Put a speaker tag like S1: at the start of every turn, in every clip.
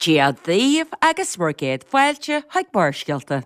S1: Dia daoibh agus bhur gcéad fáilte chuig Barrscéalta.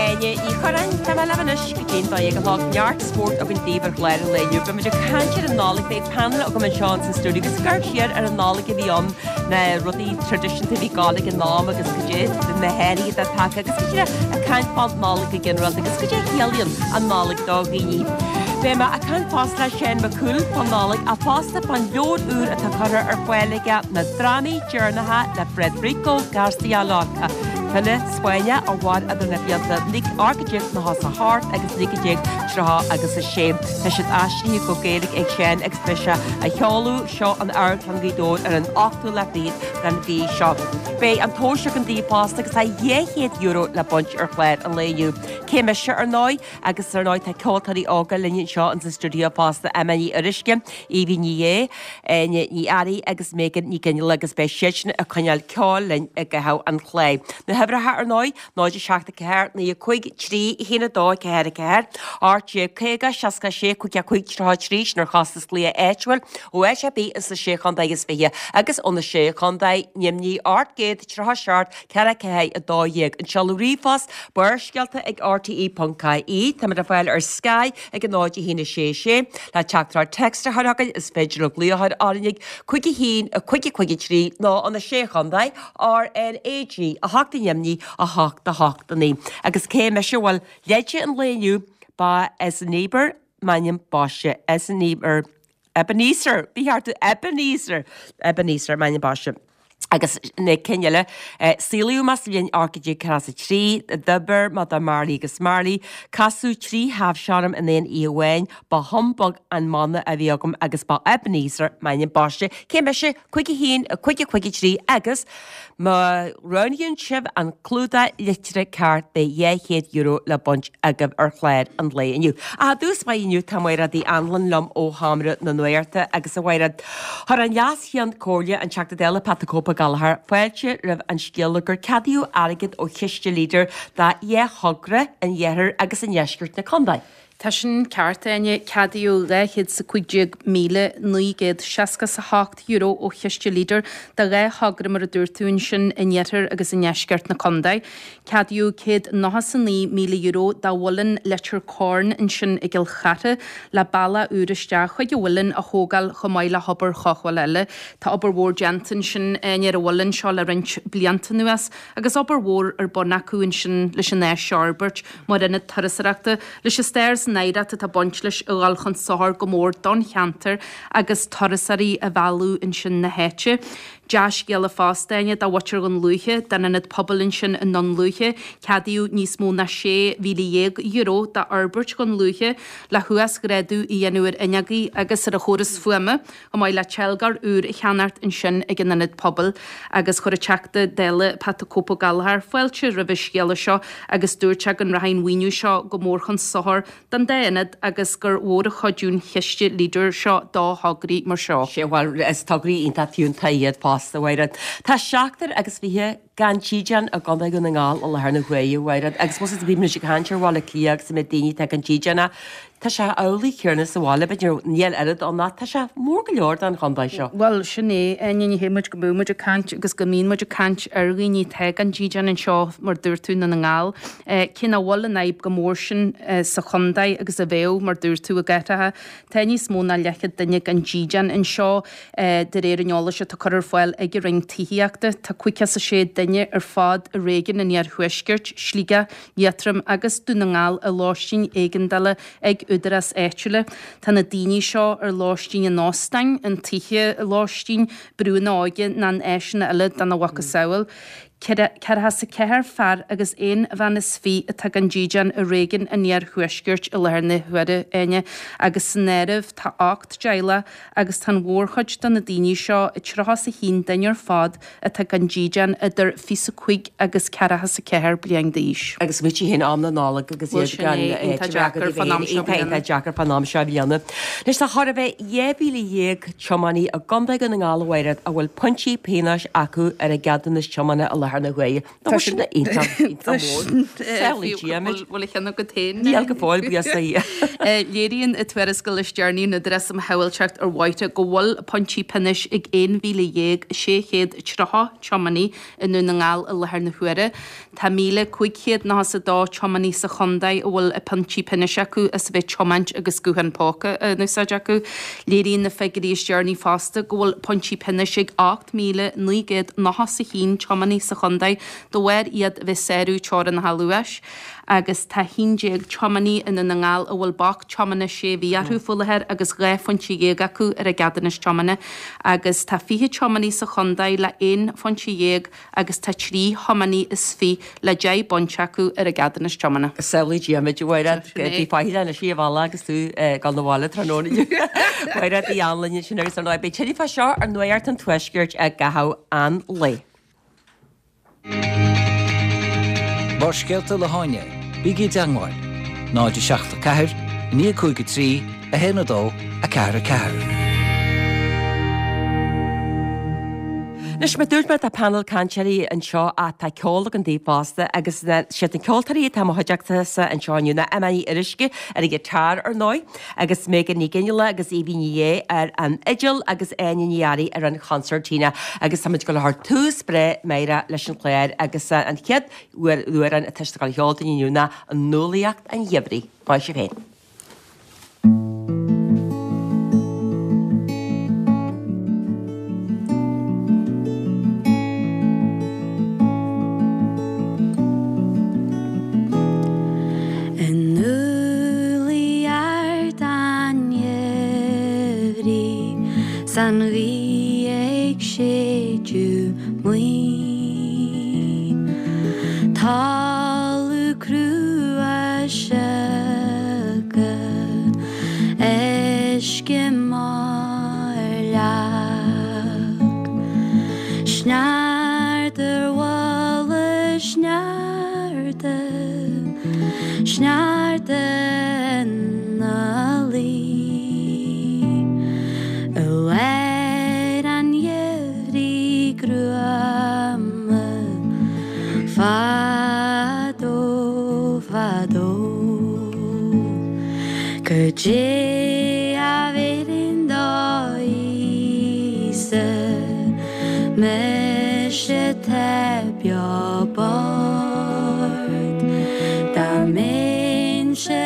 S1: Áine Ní Churráin, tá mé libh anois go dtí'n 12 a chlog. Neart spóirt againn daoibh ar chlár an lae inniu. Beidh muid ag caint ar an Nollaig, beidh panel agam anseo ins an stiúideo agus ag amharc siar ar an Nollaig a bhí ann, na rudaí traidisiúnta a bhí ag gabháil ag an am agus cad é na hathruithe atá tagtha agus go díreach ag caint fán Nollaig go ginearálta agus cad é a chiallaíonn an Nollaig do dhaoine. Beidh mé ag caint fosta le Seán Mac Cumhaill fán Nollaig ach fosta fán leabhar úr atá curtha ar fáil aige, Na Drámaí Deireanacha le Federico García Lorca, file Spáinneach a mhair idir na blianta 1898 agus 1930 agus 6. Tá siad aistrithe go Gaeilge ag Seán agus beidh sé á sheoladh seo in Amharclann Ghaoth Dobhair ar an ochtú lá fichead den mhí seo. Beidh an tomhas againn daoibh fosta agus tá €200 le baint ar chlár an lae inniu. Cé mise ar ndóigh? Agus ar ndóigh tá ceoltóirí óga linn anseo ins an stiúideo fosta, Emma Ní Fhuaruisce, Evie Ní Dhé, Áine Ní Fhearraigh agus Megan Ní Ghionnaile agus beidh siadsan ag coinneáil ceoil linn i gcaitheamh an chláir. Na huimhreacha ar ndóigh, 0 7 4 9 5 3 1 2 4 4, 18 50 66 55 33, sin ar chostas glaoch áitiúil ó áit ar bith ins na Sé Chontae is Fiche agus ó na Sé Chontae, Nimhní 837 4 4 12. An seoladh ríomhphost, Barrscéalta ag rte.ie. Táimid ar fáil ar Sky ag 0 1 6 6. Le teachtaireacht text a chur chugainn is féidir libh glaoch a chur orainn ag 5 1 5 5 3 nó ó na Sé Chontae, RnaG 8 i nDoimní 8 8 9. Agus cé mise? Bhuel, leide an lae inniu, ba as an Éibear m'ainm baiste, as an Éibear. Ebenezer, ba cheart do Ebenezer, Ebenezer m'ainm baiste. Agus na cinn eile, saolaíodh mé sa bhliain 1843, d'oibir mé do Marley agus Marley, casadh 3 thaibhse orm in aon oíche amháin, ba humbug an mana a bhí agam agus ba Ebenezer m'ainm baiste. Cé mise? 5 1 5 5 3 agus má roghnaíonn sibh an clúdach litrithe ceart beidh €200 le baint agaibh ar chlár an lae inniu. Ach i dtús báire inniu tá Mairéad Uí Anluain liom ó Sheomra na Nuachta agus a Mhairéad, chuir an Leas-Cheann Comhairle, an Teachta Dála Pat the Cope Gallagher, fáilte roimh an scéala gur ceadaíodh airgead ó chiste Leader do dhá thogra in iarthar agus i ndeisceart na contae.
S2: Tá sin ceart, Áine. Ceadaíodh €215,968 ó chiste Leader do dhá thogra mar a dúirt tú ansin in iarthar agus i ndeisceart na contae. Ceadaíodh €199,000 do Mhuileann Leitir Cairn ansin i gCill Chartha le bealach úr isteach chuig an mhuileann a thógáil chomh maith le hobair chothabhála eile. Tá obair mhór déanta ansin, Áine, ar an mhuileann seo le roinnt blianta anuas agus obair mhór ar bun acu ansin leis an áis seo a fhorbairt. mar ionad turasóireachta, leis an stair is an oidhreacht atá ag baint leis a dhul chun sochair go mór don cheantar agus turasóirí a mhealladh ansin na háite. Dea-scéala fosta, Áine, do mhuintir Dhún Lúiche, don ionad pobail ansin i nDún Lúiche. Ceadaíodh níos mó ná €16,000 d'fhorbairt Dhún Lúiche le huasghrádú a dhéanamh ar fhuinneogaí agus ar an chóras fuaime. chomh maith le teilgeoir úr a cheannacht ansin ag an Ionad Pobail agus chuir an Teachta Dála Pat the Cope Ó Gallchóir fáilte roimh an scéala seo agus dúirt sé go rachaidh an mhaoiniú seo go mór chun sochair don dá ionad agus gur mhór an chuidiú an chiste Leader seo do thograí mar seo.
S1: Sea, bhuel, is tograí iontach fiúntach iad fosta, a Mhairéad. Tá seachtar agus 20 gan dídean i gContae Dhún na nGall i láthair na huaire, a Mhairéad, agus más bhí muid ag caint ar Bhaile Átha Cliath agus an méid daoine atá gan dídean ach tá sé amhlaidh céanna sa bhaile, b'fhéidir níl oiread ann ach tá sé mór go leor don chontae seo.
S2: Bhuel, sin é, Áine, ní hé muid go mbeadh muid ag caint agus go mbíonn muid ag caint ar dhaoine atá gan dídean anseo, mar dúirt tú, i nDún na nGall. Cé nach bhfuil an fhadhb chomh mór sin sa chontae agus a bheadh, mar dúirt tú, i gcathracha, tá níos mó ná leathchéad duine gan dídean anseo. De réir an eolais atá curtha ar fáil ag an Roinn Tithíochta, tá 56 duine ar fad i réigiún an Iarthuaiscirt, Sligeach, Liatroim agus Dún na nGall i lóistín éigeandála ag údaráis áitiúla. Tá na daoine seo ar lóistín in óstáin, in tithe lóistín, brúnna óige ná in áiseanna eile dena mhacasamhail. 44 fear agus aon bhean is fi atá gan dídean i réigiún an iarthuaiscirt i láthair na huaire, Áine, agus san áireamh tá 8 dteaghlach agus tá an mhórchuid de na daoine seo, 31 duine ar fad, atá gan dídean idir 25 agus 44 bliain d'aois.
S1: Agus smaoitigh féin am na Nollag agus iad gan
S2: iontach deacair fán am seo bliana.
S1: Iontach deacair fán am seo bliana. Anois tá chóir a bheith 12,000 tiománaí i gContae Dhún na nGall a Mhairéad a bhfuil pointí pionóis acu ar a gceadúnas tiomána i láthair na huaire. Tá sin iontach, iontach mór. Samhlaigh Dia muid.
S2: Bhfuil a cheann agat féin?
S1: Níl go fóill, buíochas le Dia.
S2: Léiríonn an tuarascáil is deireanaí ón Údarás um Shábháilteacht ar Bhóithre go bhfuil pointí pionóis ag 11,630 tiománaí i nDún na nGall i láthair na huaire. Tá 1,592 tiománaí sa chontae a bhfuil pointí pionóis acu as a bheith ag tiomáint agus guthán póca á n-úsáid acu. Léiríonn na figiúirí is deireanaí fosta go bhfuil pointí pionóis ag 8,991 tiománaí sa chontae de bharr iad a bheith ag sárú teorainneacha luais agus tá 11 tiománaí i nDún na nGall a bhfuil bac tiomána sé mhí orthu faoi láthair agus 12 phointe acu ar a gceadúnas tiomána agus tá 20 tiománaí sa chontae le 11 phointe agus tá 3 thiománaí is fi le 10 bpointe acu ar a gceadúnas tiomána.
S1: Samhlaigh Dia muid, a Mhairéad, bí faichilleach anois ar an bhealach agus tú ag dul 'na bhaile tráthnóna inniu. Mairéad Uí Anluain ansin agus ar ndóigh beidh tuilleadh fá seo ar Nuacht an Tuaiscirt i gcaitheamh an lae.
S3: Barrscéalta le hÁine, bígí i dteangmháil, 0 7 4 9 5 3 1 2 4 4.
S1: Anois, mar dúirt mé, tá panel cainteoirí anseo ach tá ceol againn daoibh fosta agus siad na ceoltóirí atá i mo chuideachta-sa anseo inniu ná Emma Ní Fhíoruisce ar an ghiotár ar ndóigh agus Megan Ní Fhionnghaile agus Aoibhinn Ní Dhé ar an fhidil agus Áine Ní Fhearraigh ar an chonsairtín agus táimid ag dul a chur tús breá meidhreach leis an chlár agus an chéad amhrán atá siad ag dul a cheol dúinn inniu ná Nuálaíocht an Gheimhridh. Maith sibh féin.
S4: I ndúlaí ard an gheimhridh 's an ghaoth ag séideadh maoin. Talamh crua sioctha, uisce maith ar leac, Sneachta ar mhullach sneachta, sneachta ina luí i lár an gheimhridh ghruama. Fadó, fadó, Goidé a bhéarfainn do Íosa, mise atá beo bocht, dá mbeinnse i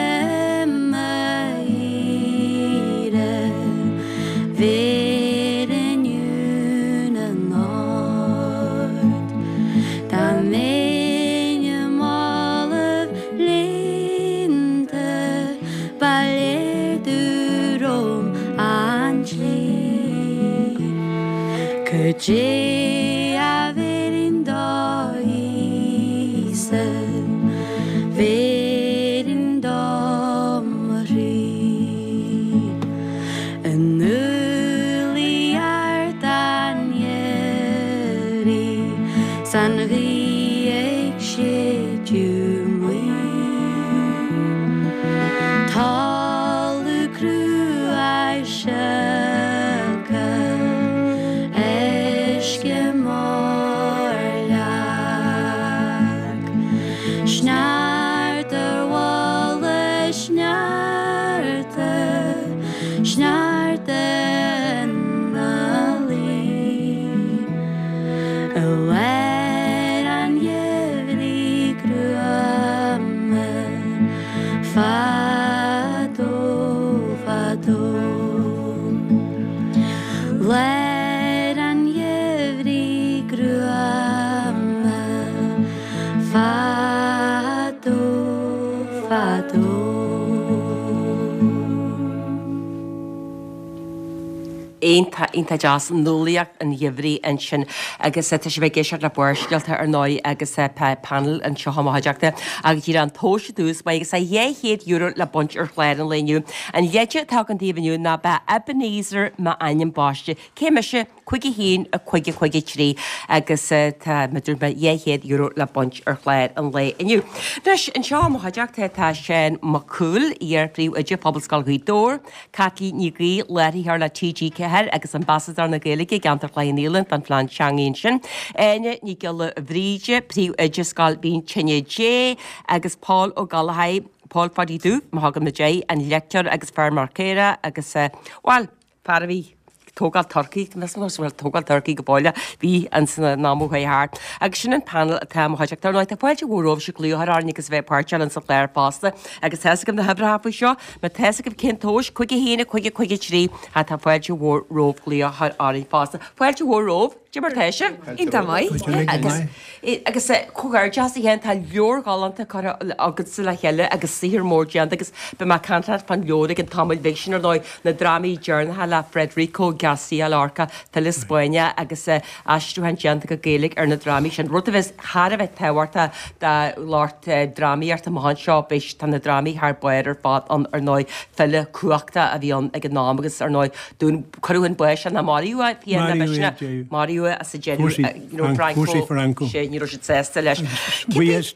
S4: m'aoire, bhéarfainn uain anocht. Dá mbeinn i málaibh líonta, ba léir domh romham an tslí. Goidé a bhéarfainn do Íosa, bhéarfainn dó mo chroí. I ndúlaí ard an gheimhridh 's an ghaoth ag séideadh maoin. Talamh crua sioctha, uisce.
S1: Iontach, iontach deas, nuálaíocht an gheimhridh ansin agus tá sibh ag éisteacht le Barrscéalta ar ndóigh agus tá panel anseo i mo chuideachta agus díreach an tomhas aduas uaidh agus tá €200 le baint ar chlár an lae inniu. An leide atá agam daoibh inniu ná ba Ebenezer m'ainm baiste. Cé mise? 5 1 5 5 3 agus tá mar a dúirt mé €200 le baint ar chlár an lae inniu. Anois, anseo i mo chuideachta tá Seán Mac Cumhaill, iar-phríomhoide Phobalscoil Ghaoth Dobhair, Caitlín Ní Ghaoith, láithreoir le TG4 agus Ambasadóir na Gaeilge i gceantar Chloich Cheann Fhaola don phlean teanga ansin, Áine Ní Ghiolla Bhríde, Príomhoide Scoil Mhín Tine Dé agus Pól Ó Gallchóir, Pól Pháidí Dubh, má thugann muid air, an leicteoir agus feirmeoir caorach agus, bhuel, fear a bhí ag tógáil turcaí, measaim go bhfuil tógáil turcaí go fóill, bhí ins an am ó chuaigh thart. Agus sin an panel atá i mo chuideachta. Ar ndóigh, tá fáilte mhór romhaibhse glaoch a chur orainn agus a bheith páirteach linn sa chlár fosta. Agus tá fhios agaibh na huimhreacha faoi seo, má tá fhios agaibh cén tomhas, 5 1 5 5 3, tá fáilte mhór romhaibh glaoch a chur orainn fosta. Fáilte mhór romhaibh! Cad é mar tá sibh?
S5: Iontach maith.
S1: Agus agus comhghairdeas a Sheáin, tá leabhar galánta curtha agatsa le chéile agus saothar mór déanta agus beidh mé ag caint leat fán leabhar i gcionn tamaill bhig sin ar ndóigh, na drámaí deireanacha le Federico García Lorca, file Spáinneach agus aistriúchán déanta go Gaeilge ar na drámaí sin, rud a bheas thar a bheith tábhachtach do lucht drámaíochta amach anseo, beidh, tá na drámaí thar barr ar fad ann ar ndóigh, file cumhachtach a bhí ann ag an am agus ar ndóigh dún, cuireadh chun báis é nó maraíodh é, fiú na
S6: Maraíodh é, deireadh.
S1: Maraíodh é as a deireadh,
S6: Fuair
S1: you know,
S6: Franco, fuair sé Franco.
S1: Sé, ní raibh siad sásta leis.
S6: Buíochas,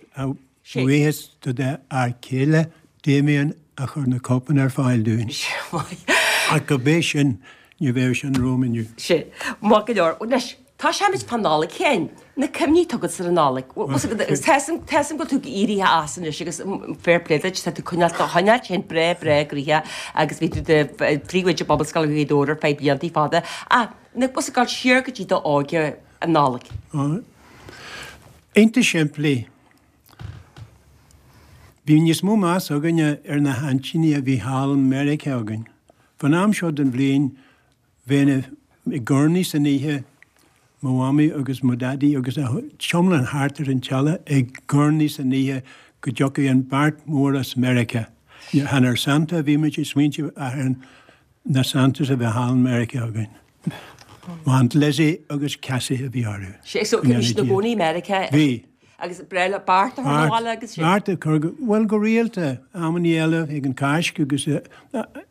S6: buíochas do d'fhear céile, Damien, a chuir na cóipeanna ar fáil dúinn. Ach go b'é sin, ní bheadh sin romham inniu.
S1: Sé, maith go leor. Anois, tosóimid fán Nollaig féin. Na cuimhní atá agat ar an Nollaig. Tá 'fhios a'm go bhfuil tú éirithe as anois agus fair play duit, tá tú coinneáil do choinneáil féin breá breá gnoitheach agus bhí tú i do phríomhoide Pobalscoil Ghaoth Dobhair ar feadh blianta fada. Ach, na, bhfuil 'fhios a'd, gabháil siar go dtí d'óige an Nollaig.
S6: Iontach simplí. Bhí níos mó meas againne ar na haintíní a bhí thall i Meiriceá againn. Fán am seo den bhliain bheinn ag urnaí san oíche, mo mhamaí agus mo dhaidí agus an t-iomlán thart ar an teile ag urnaí san oíche go dtiocfadh an beart mór as Meiriceá. Chan ar Santa a bhí muid ag smaointiú ach ar na Santas a bhí thall i Meiriceá againn. M'Aunt Lizzie agus Cassie a bhí orthu.
S1: Sé, so bhí siad ina gcónaí i Meiriceá?
S6: Bhí.
S1: Agus breá le beart a chur 'na bhaile agus
S6: sin. Beart a chur go, bhuel go rialta, amannaí eile ag an Cháisc agus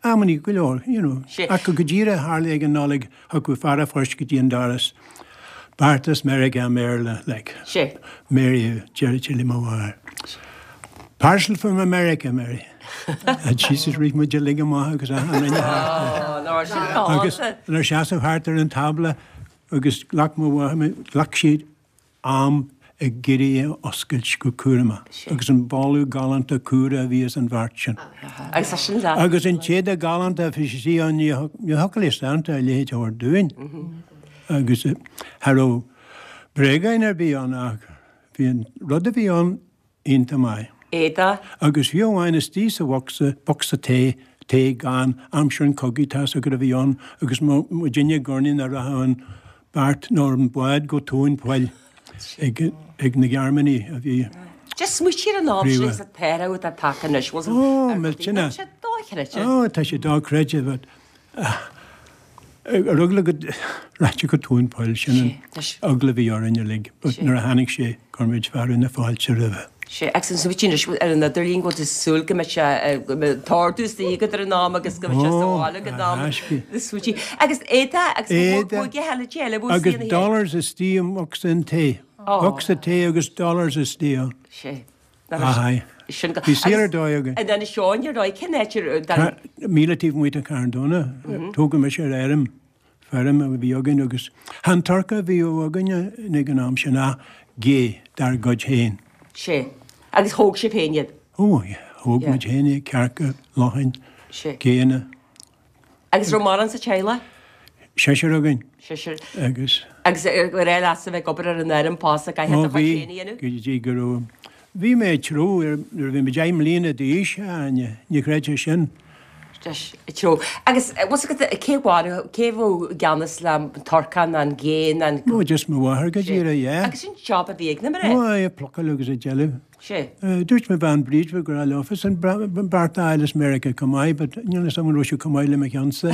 S6: amannaí go leor, you know.
S1: Sé.
S6: Ach go díreach tharla ag an Nollaig thiocfadh fear a' phoist go dtí an doras, beart as Meiriceá i mBéarla, like.
S1: Sé.
S6: Mary a deiridh le mo mháthair. Parcel from America, Mary. And Jesus rith muid uilig amach agus achan duine thart.
S1: Ó, sin galánta.
S6: Agus inár seasamh thart ar an tábla agus ghlac mo mháthair, ghlac siad am ag iarraidh é a oscailt go cúramach agus an boladh galánta cumhra a bhí as an bheart sin.
S1: Agus é sin leat.
S6: Agus an t-éadach galánta a bhí sí ann, ní thiocfadh le Santa a leithéid a thabhairt dúinn. Agus cha raibh bréagáin ar bith ann ach bhí an rud a bhí ann iontach maith.
S1: Éadach.
S6: Agus fiú amháin istigh sa bhocsa, bocsa tae, tae gann, aimsir an chogaidh tá's agat a bhí ann agus muidinne ag urnaí nach rachadh an beart nó an bád go tóin poill ag, ag na Gearmánaigh a bhí.
S1: Just smaoitigh ar an am sin agus an t-athrú atá tagtha anois.
S6: Ó, millteanach.
S1: Tá sé dochreidte.
S6: Ó, tá sé dochreidte but. Ar eagla go rachadh sé go tóin poill, sin an eagla a bhí orainn uilig, but nuair a tháinig sé, chuir muid fearadh na fáilte roimhe.
S1: Sea, agus an smaoitigh anois ar an idirlíon go bhfuil tú ag súil go mbeidh sé, go mbeidh an t-ordú istigh agat ar an am agus go mbeidh sé sa bhaile ag an am. Smaoitigh. Agus éadach agus
S6: Éadach agus dollars istigh i mbocsa an tae. Bocsa tae agus dollars istigh ann.
S1: Sea.
S6: Aye. Bhí saol ar dóigh againn.
S1: In Inis Eoghain ar dóigh, cén áit ar...
S6: Míle taobh amuigh de Charn Domhnach. Tógadh mise ar fheirm, feirm a bhí againn agus chan turcaí a bhí againne ag an am sin ach gé dár gcuid féin.
S1: Sea. Agus thóg sibh féin iad?
S6: Ó, thóg muid féin iad, cearca, lachain, géanna.
S1: Agus raibh mórán sa teaghlach?
S6: Seisear againn.
S1: Seisear.
S6: Agus.
S1: Agus ar éirigh leatsa bheith ag obair ar an fheirm fosta, caithfidh do chuid féin a dhéanamh?
S6: Ó bhí, go dtí go raibh, bhí mé ag treabhadh ar, nuair a bhí mé 10 mbliana d'aois, a Áine, ní chreidfeá sin.
S1: Deis, ag treabhadh. Agus bhfuil 's agat cé mharaigh, cé bhí i gceannas le turcán, an gé, an.
S6: Ó, just mo mháthair go díreach, yeah.
S1: Agus sin job a bhí ag na mná.
S6: Ó, aye, ag plucáil agus ag déanamh.
S1: Sé.
S6: Dúirt mo bhean Bríd ba ghrá leofa san beart a fháil as Meiriceá chomh maith but níl fhios agam an raibh sé chomh maith le mo cheannsa.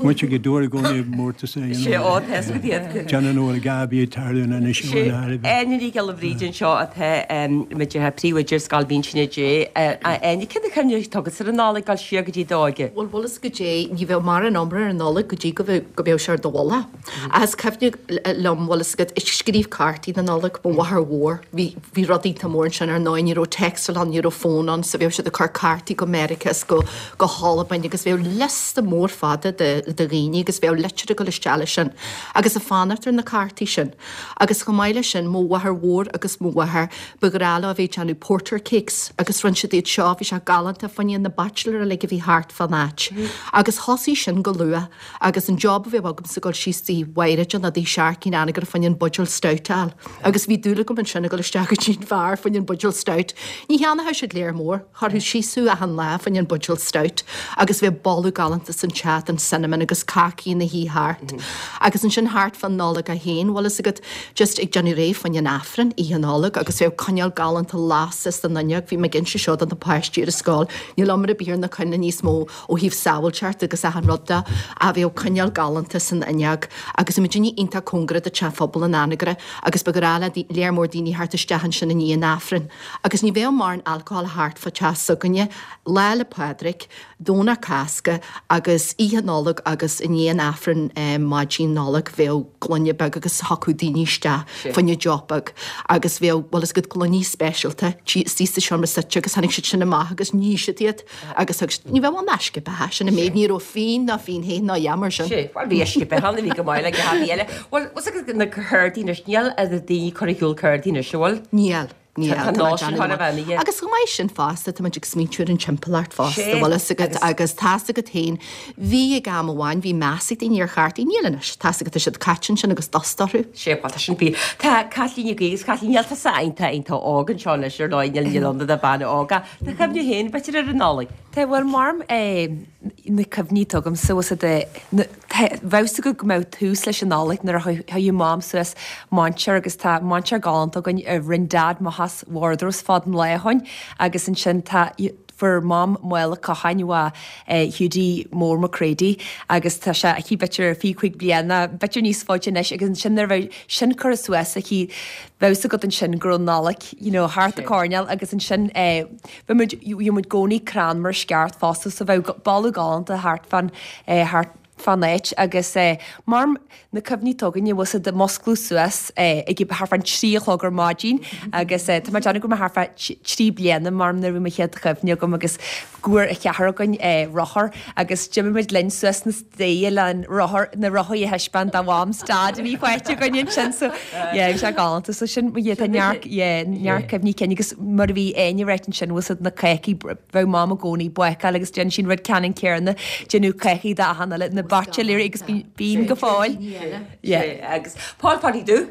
S6: Muid ag dúr i gcónaí mórtas é.
S1: Sé ó tá fhios agat iad.
S6: Déanann an bhfuil gá bhí ag tarlú in Inis
S1: Sé Áine Ní Ghiolla Bhríde anseo atá muid ar príomhoide ar Scoil Mhínse Dé. A Áine, cén chuimhne atá agat ar an Nollaig dul siar
S5: go dtí d'óige? Bhuel, bhfuil fhios agat goidé, ní bheadh mórán iomrá ar an Nollaig go dtí go mbeadh sé ar do mhullach. Ach is cuimhin liom, bhfuil fhios agat, ag scríobh cártaí na Nollag, mo mháthair mhór, bhí, bhí rud iontach mór ansin ar ndóigh, ní raibh téacsáil ann, ní raibh fón ann, so bheadh siad ag cur cártaí go Meiriceá is go, go hAlbain agus bheadh liosta mór fada de, de dhaoine agus bheadh litir ag dul isteach leis sin agus ag fanacht ar na cártaí sin. Agus chomh maith leis sin, mo mháthair mhór agus mo mháthair, ba ghrá leo a bheith ag déanamh porter cakes agus rinne siad iad seo, bhí sé galánta, fá choinne na baitsiléir uilig a bhí thart fán áit. Agus thosaigh sin go luath. Agus an job a bheadh agamsa dul síos dtí Mhaighréad nó dtí Sharkey in Anagaire fá choinne an buidéal stout a fháil. Agus bhí dúil agam ansin a dhul isteach go dtí an bheár fá choinne an buidéal stout. Ní cheannóchadh siad léar mór, chuirfeadh síos thú achan lá fá choinne an buidéal stout. Agus bheadh boladh galánta san teach den cinnamon agus cácaí ina shuí thart. Agus ansin thart fán Nollaig é féin, bhfuil fhios agat, just ag déanamh réidh fá choinne an Aifrinn, Oíche Nollag, agus bheadh coinneal galánta lasta san fhuinneog, bhí mé ag inse seo do na páistí ar an scoil, níl iomrá ar bith ar na coinnle níos mó, ó thaobh sábháilteacht agus achan rud de, ach bheadh coinneal galánta san fhuinneog agus bhí muidinne iontach cóngarach do teach phobail an Anagaire agus ba ghrá le léar mór daoine theacht isteach ansin i ndiaidh an Aifrinn. Agus ní bheadh mórán alcohol thart fá teach s'againne, Lá 'le Pádraig, Domhnach Cásca agus Oíche Nollag agus i ndiaidh an Aifrinn maidin Nollag bheadh gloine beag agus thiocfadh daoine isteach fá choinne deoch beag agus bheadh, bhfuil fhios agat, gloiní speisialta istigh sa seomra suite agus tháinig siad sin amach agus ní siad iad. Agus thug siad, ní bheadh ann uisce beatha, sin an méid, ní raibh fíon ná fíon the ná a dhath mar sin.
S1: Sé, bhuel bhí uisce beatha ann a bhí go maith le gach eile. Bhuel, bhfuil fhios agat na cártaí anois, níl na daoine ag cur ar shiúl cártaí anois, an bhfuil?
S5: Níl, níl.
S1: Tá an nós sin chóir a bheith imithe.
S5: Agus chomh maith sin fosta, tá muid ag smaointiú ar an timpeallacht fosta, bhfuil fhios agat, agus tá's agat féin, bhí ag am amháin, bhí meas ag daoine ar chártaí, níl anois, tá's agat, tá siad caite ansin agus dust orthu.
S1: Sé, bhuel tá sin fíor. Tá Caitlín Ní agus Caitlín, níl tusa iontach, iontach óg anseo anois ar ndóigh, níl, níl ann do bhean óg ach Do chuimhne féin, b'fhéidir ar an Nollaig.
S7: Tá, bhuel, mar na cuimhní atá agamsa, bhfuil fhios agat, bheadh fhios agat go mbeadh tús leis an Nollaig nuair a chuireadh Mam suas mainséar agus tá mainséar galánta againn a rinn Dad amach as wardrobes fad an lá ó shin agus ansin tá, fuair Mam mála cocháin ó Hiúdaí Mór McCready agus tá sé aici b'fhéidir 25 bliain nó b'fhéidir níos faide anois agus ansin nuair a bheadh sin curtha suas aici bheadh fhios agat ansin go raibh Nollaig you know thart an coirnéal agus ansin eh bheadh muid bhí muid i gcónaí crann mar sceart fosta so bheadh boladh galánta thart fán eh thart fán áit agus eh mar na cuimhní atá againne bhfuil fhios agat musclú suas eh ag thart fán trí a chlog ar maidin agus eh tá mé ag déanamh go raibh mé thart fá trí bliana mar nuair a bhí mo chéad chuimhne agam agus go bhfuair a cheathrar againn eh rothar agus d'imigh muid linn suas na staighre le an rothar, na rothaí a thaispeáint do Mham 's Dad a bhí faighte againn ansin so yeah bhí sé galánta so sin yeah tá neart yeah neart cuimhní cinn agus mar a bhí Áine ag ráit ansin bhfuil fhios agat na cácaí bheadh Mam i gcónaí ag bácáil agus déanann sí an rud ceannann céanna déanamh cácaí d'achan uile na baitsiléirí agus bíonn go fóill
S1: yeah agus Paul Pháidí Dubh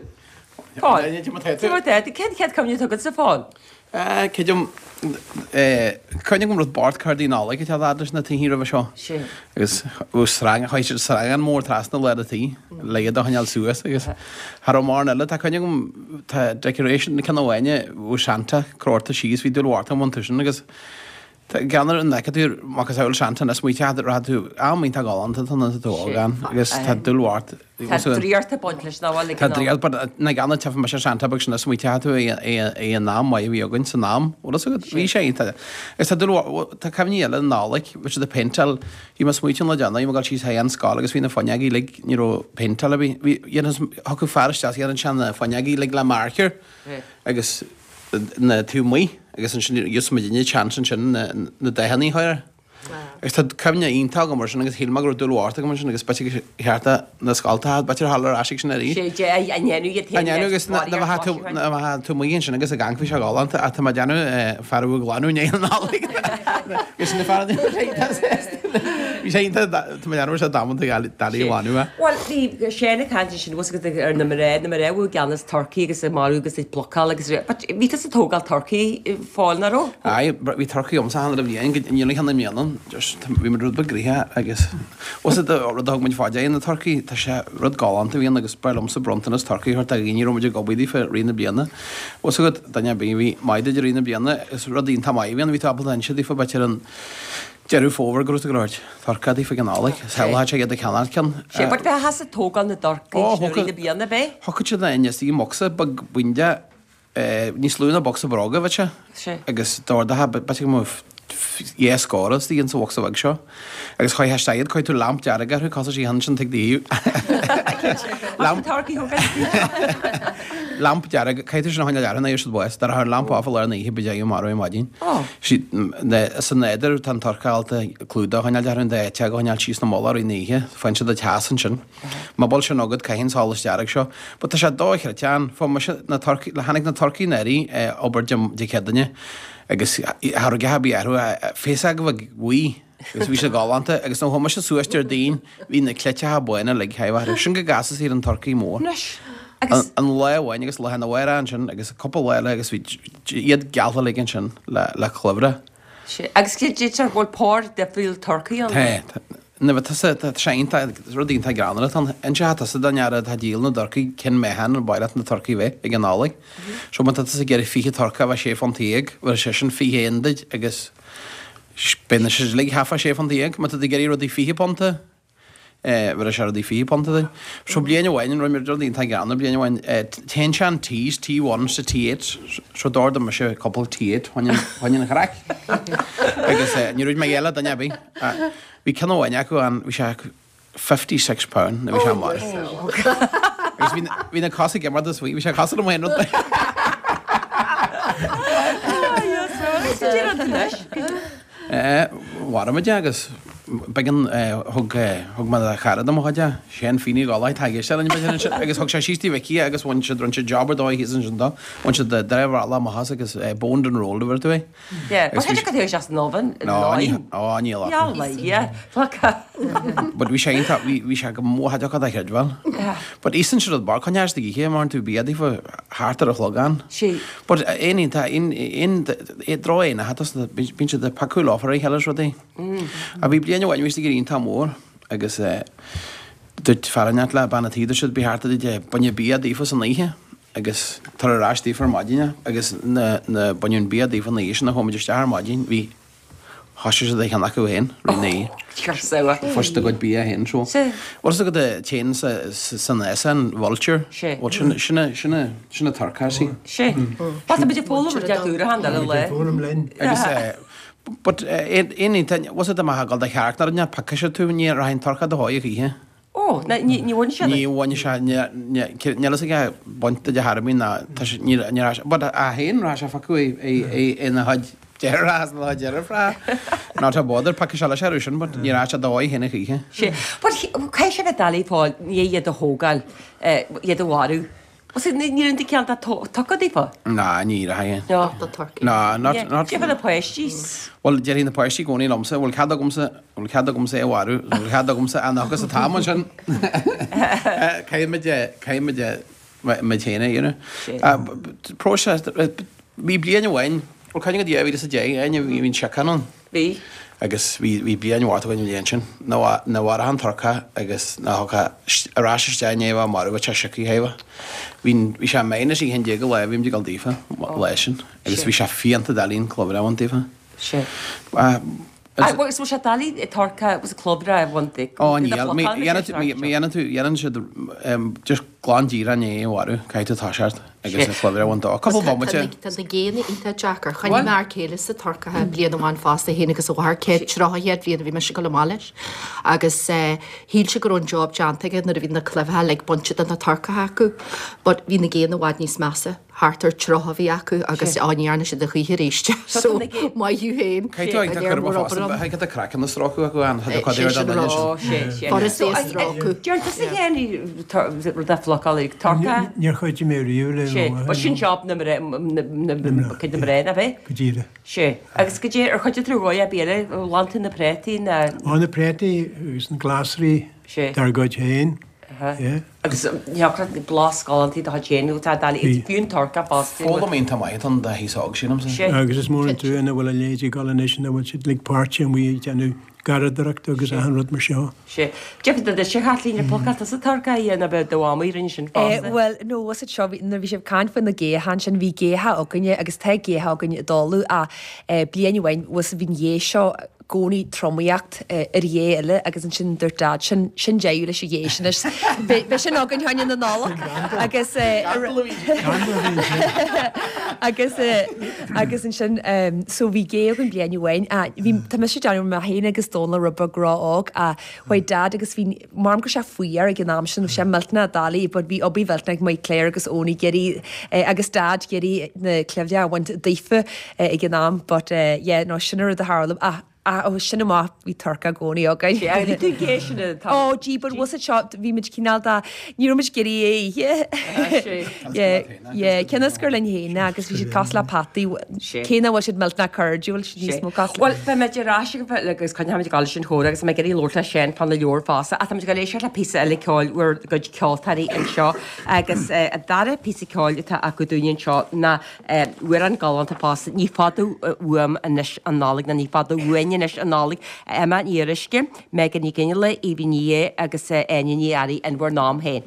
S1: Paul Cén chéad cuimhne atá agatsa Paul?
S8: Creidim, cuimhne agam raibh bord cártaí Nollag ag teacht fhad leis na tithe roimhe seo. Agus bheadh sreang, chuaigh siad sreangán mór trasna lár an tí le iad a choinneáil suas agus cha raibh mórán eile. Tá cuimhne agam, tá decoration ceann amháin, bheadh Santa crochta síos, bhí dúil mhór agam iontu sin agus tá ceann ar an fheiceann tú macasamhail Santa ina smaointe, rachaidh tú am iontach galánta tá na tú óg ann agus tá dúil mhór
S1: Tá draíocht ag baint leis, nach bhfuil?
S8: Tá draíocht, but na ganna teifigh mise Santa beag sin a smaoiteoidh tú é an am maith a bhí againn san am, bhfuil fhios agat? Bhí sé iontach. Agus tá dúil, tá cuimhní eile Nollaig, bhí siad ag péinteáil, bhí mé ag smaoitiú an lá deireanach, bhí mé ag dul síos chuig an scoil agus bhí na fuinneogaí uilig, ní raibh péinteáil ar bith, bhí, thiocfadh fear isteach is dhéanadh sé na fuinneogaí uilig le marker agus na taobh amuigh agus ansin gheobhadh muidinne chance ansin na dathanna a chur air. Agus tá cuimhne iontach agam air sin agus shíl mé go raibh dúil mhór agam ansin agus b'fhéidir gur cheart do na scoltacha, b'fhéidir a dhul ar ais ag sin arís.
S1: Sé a ndéanamh iad
S8: féin leis an bhfóillíocht mhaisiúcháin. Na bheadh tú amuigh ansin agus ag amharc bhí sé galánta ach tá mé ag déanamh fear a bheadh ag glanadh i ndiaidh na Nollag. Agus na fear a bhí ag. Bhí sé iontach, tá mé leanbh sé damanta doiligh a bhainiú é.
S1: Bhuel, bhí Shane ag caint ansin, bhfuil agat ar na mná, na mná a bhí i gceannas turcaí agus ag marú agus ag plucáil agus but bhí tusa ag tógáil turcaí fáil, nach raibh?
S8: Aye, bhí turcaí agamsa cheana le bliain, go ndéanfaidh cheana i mbliana, just bhí muid rud beag gnoitheach agus bhfuil a fhios agat rud a thug muid fá dear, na turcaí, tá sé rud galánta a bhíonn agus ba liomsa bronntanas turcaí a thabhairt do dhaoine a raibh muid ag obair daofa i rith na bliana. Bhfuil a fhios agat, duine ar bith a bhí maith duit i rith na bliana, is rud iontach maith a bhíonn, bhí tú ábalta inse daofa b'fhéidir an Deireadh Fómhair go raibh tú ag tabhairt turcaí daofa ag an Nollaig, shamhlódh sé iad ag ceannacht ceann.
S1: Sé, but bheith as ag tógáil na dturcaí
S8: Ó,
S1: sin i rith na bliana, ab é?
S8: Thiocfadh siad aníos i mbocsa beag buindeach, níos lú ná bocsa bróga, bheadh sé.
S1: Sé.
S8: Agus d'ordaithe, b'fhéidir go mbeadh dhá scór istigh insa bhocsa bheag seo. Agus chuaigh isteach iad, chuir tú lamp dearg orthu, cosúil sí ansin tigh daoibh.
S1: Lamp turcaí thógáil.
S8: Lamp dearg, caithfidh tú sin a choinneáil orthu nó gheobhaidh siad bás. Dá rachadh an lamp off i lár na hoíche b'fhéidir go marbh ar maidin. Sa nádúr tá an turcaí ábalta clúdach a choinneáil orthu, an dá eiteog a choinneáil síos ina mullach i rith na hoíche. Faigheann siad an teas ansin. Má bhfuil sin agat caithfidh an solas dearg seo. But tá sé dochreidte ann. Fuair mise na turcaí, tháinig na turcaí anuraidh obair Dé Céadaoine agus cha raibh a dhath ar bith orthu, féasóg bheag bhuí. Agus bhí sé galánta agus nuair a chuaigh mise suas Déardaoin bhí na cleiteacha bána uilig thaobh orthu. Sin go gcasas ar an turcaí mór.
S1: Anois, agus.
S8: An lá amháin agus lá arna mhárach ansin agus cúpla lá eile agus bhí iad geallta uilig ansin le le cluimhre.
S1: Sea, agus deirtear go bhfuil pór difriúil turcaí ann.
S8: Tá, tá. Nuair atá tusa, tá sé iontach, rud iontach greannmhar atá ann. Inseoidh tusa don fhear atá ag díol na dturcaí cén meáchan ar mhaith leat na turcaí bheith ag an Nollaig. So má tá tusa ag iarraidh 20 turcach a bheith sé phunt dhéag, bheir seisean 21 duit agus Beidh na siad uilig thart fá sé phunt dhéag. Má tá tú ag iarraidh rudaí 20 punta, bheir sé rudaí 20 punta duit. So bliain amháin, rinne muid rud iontach greannmhar bliain amháin, téann sé an T's, T1 sa T8, so d'ordaigh mise cúpla T8 fá choinne an chraic. Agus ní raibh mé ag le duine ar bith. Bhí ceann amháin acu ann, bhí sé £56 nuair a bhí sé marbh. Agus bhí bhí na cosa ag imeacht is bhí sé cosúil liom féin rud. Mharaigh muid é agus b'éigean thug thug mé do chara de mo chuid é, Shane Feeney Galway tá ag éisteacht linn b'fhéidir ansin agus thug sé síos dtí Mhicí é agus bhain siad rinne siad job ar dóigh thíos ansin dó. Bhain siad dramhaíl amach as agus boned and rolled a bhfuair tú é.
S1: Yeah, but thig tú isteach san oven
S8: No, ní, oh, níl acu.
S1: Yeah, like, yeah. Fuck.
S8: But bhí sé iontach, bhí, bhí sé go mór thaideach a chreidbheáil.
S1: Yeah.
S8: But íosann siad rud beag, coinneáil istigh oíche, mar tú bia daofa thart ar a chlog ann.
S1: Sí.
S8: But aon iontach, aon, aon, dró aon a thus, bíonn siad ag piocadh leo ar a chéile is rudaí. A bhí bliain amháin bhí siad ag iontach mór agus eh, dúirt fear inteacht le bean an tí, dúirt siad bí thart a baineadh bia daofa san oíche. agus tar ar ais daofa ar maidin é agus na na baineadh an bia daofa an oíche sin a chuaigh muid isteach ar maidin bhí thoisigh siad a cheann acu féin roimh na oíche. Fuair siad a gcuid bia féin so. Bhfuil fhios agat an t-éan sa san an vulture?
S1: Sé.
S8: Bhuel sin sin a sin a sin a turcach sí.
S1: Sé. Tá muid ag foghlaim rud éigin úr achan uile lá.
S6: Foghlaim linn.
S8: Agus eh but eh aon aon bhfuil fhios agat má gabháil do chearc ná rud piocfaidh sé tú ní rachaidh an turcach do dhóigh a choíche.
S1: Ó, ná, ní, ní bhain siad.
S8: Ní bhain sé, ní, ní, níl fhios aige baint de chor ar bith ná, tá sé, ní, ní raibh sé, but a féin raibh sé phiocadh é, é, é ina chuid deartháir as ina chuid deirfiúr. Not a bother, piocfaidh sé leis orthu sin, but ní raibh sé dóigh féin a choíche.
S1: Sé, but caithfidh sé bheith doiligh fáil, ní iad a thógáil, eh, iad a mharú. Sea, ní raibh an ceann dá tugtha daofa.
S8: Ná, ní raibh.
S1: No.
S8: Ná, not, not.
S1: Cé na páistí?
S8: Bhuel, déarfaidh na páistí i gcónaí liomsa, bhfuil cead agamsa, bhfuil cead agamsa é a mharú, bhfuil cead agamsa an agus an t-am ansin. Caithfidh muid, caithfidh muid, muid féin a dhéanamh. Próiseas, bhí bliain amháin, bhuel, cuimhním go 2010, Áine, bhí an síocháin ann.
S1: Bhí.
S8: Agus bhí, bhí bliain mhaith againn an bhliain sin. Ná, ná mharaigh an turcach agus ná thug ar ais isteach i ndiaidh a bheith marbh, bhí sé sioctha thaobh. Bhí, bhí sé minus 11 an lá a bhí muid ag dul daofa, an lá sin. Agus bhí sé fiánta doiligh an cluimhre a bhaint daofa.
S1: Sea. Agus bhfuil sé doiligh turcach agus cluimhre a bhaint di?
S8: Ó, níl. Má dhéanann tú, má dhéanann tú, dhéanann siad, just glan díreach i ndiaidh a mharú, caithfidh tú toiseacht agus an chluimhre a bhaint dó. Cúpla bomaite.
S5: Tá na géanna iontach deacair. Choinnigh m'fhear céile sa turcacha bliain amháin fosta, féin agus a mháthair, céad 30 chéad bhliain a bhí mise ag dul amach leis. Agus shíl sé go raibh an job déanta aige nuair a bhí na cluimhreacha uilig bainte de na turcacha acu. But bhí na géanna i bhfad níos measa. thart ar 30 a bhí acu agus á ní dhearna siad a choíche arís. So maith thú féin.
S8: Caithfidh tú ag tá cur amach fosta, caithfidh tá craiceann a stróiceadh acu ann, tá cuid ar dá duine sin.
S5: Furast é a stróiceadh.
S1: Deir tusa féin rud a phlocáil ag turcaí.
S6: Níor chuidigh mé riamh le
S1: Sé, bhuel sin job na mná, cuid na mná, nach é?
S6: Go díreach.
S1: Sé, agus goidé, ar chuidigh tú ar dhóigh ar bith eile, ghlan tú na préataí na.
S6: Ó na préataí agus na glasraí dár gcuid féin.
S1: Yeah. Agus thiocfadh leat blas galánta do chuid féin nó tá doiligh, fiú an turcach fosta.
S8: Foghlaim iontach maith atá ann do aos óg, sílimse.
S1: Sé.
S6: Agus is mór an trua nach bhfuil a leithéid ag dul anois ina bhfuil siad uilig páirteach amuigh ag déanamh garraíodóireachta agus achan rud mar seo.
S1: Sé. Deirfidh do duitse, a Chaitlín, ar phlocáil tusa turcaí a dhéanamh do mhamaí rinne sin fosta.
S7: Bhuel, no, was it seo, nuair a bhí sibh ag caint faoi na géithe ansin, bhí géithe againne agus tá géithe againn i dtólamh ach bliain amháin, was bhí an ghé seo i gcónaí tromaíocht ar ghé eile agus ansin dúirt Dad, sin, sin deireadh leis an ghé sin anois. Beidh sin againn fá choinne na Nollag agus agus agus ansin so bhí gé againn bliain amháin ach bhí, tá mise ag déanamh mé féin agus Dónal rud beag ró-óg ach chuaigh Dad agus bhí, maram go raibh sé fuar ag an am sin, bhí sé millteanach doiligh but bhí obair mhillteanach ag Marie Claire agus Eoin ag iarraidh agus Dad ag iarraidh na cluimhre a bhaint daofa ag an am but yeah no sin an rud a tharla ach ach ó sin amach bhí turcaí i gcónaí againn.
S1: Sea, bhí tú gé sin an t-am.
S7: Ó gee but was it seo bhí muid cineál de ní raibh muid ag iarraidh é a ithe. Yeah yeah cionn is gur linn féin é agus bhí siad cosúil le peataí cé nach bhfuil siad millteanach cairdiúil siad níos mó cosúil.
S1: Bhuel beidh muid ar ais agus coinneoidh muid ag dul leis an chomhrá agus mé ag iarraidh labhairt le Seán fána leabhar fosta ach tá muid ag dul éisteacht le píosa eile ceoil bhur gcuid ceoltóirí anseo agus an dara píosa ceoil atá acu dúinne anseo ná Amhrán galánta fosta, Ní fada uaim anois an Nollaig nó Ní fada uainn anois an Nollaig, Emma Ní Fhíoruisce, Megan Ní Fhionnghaile, Aoibhinn Ní Aodha agus Áine Ní Fhearraigh in bhur n-am féin.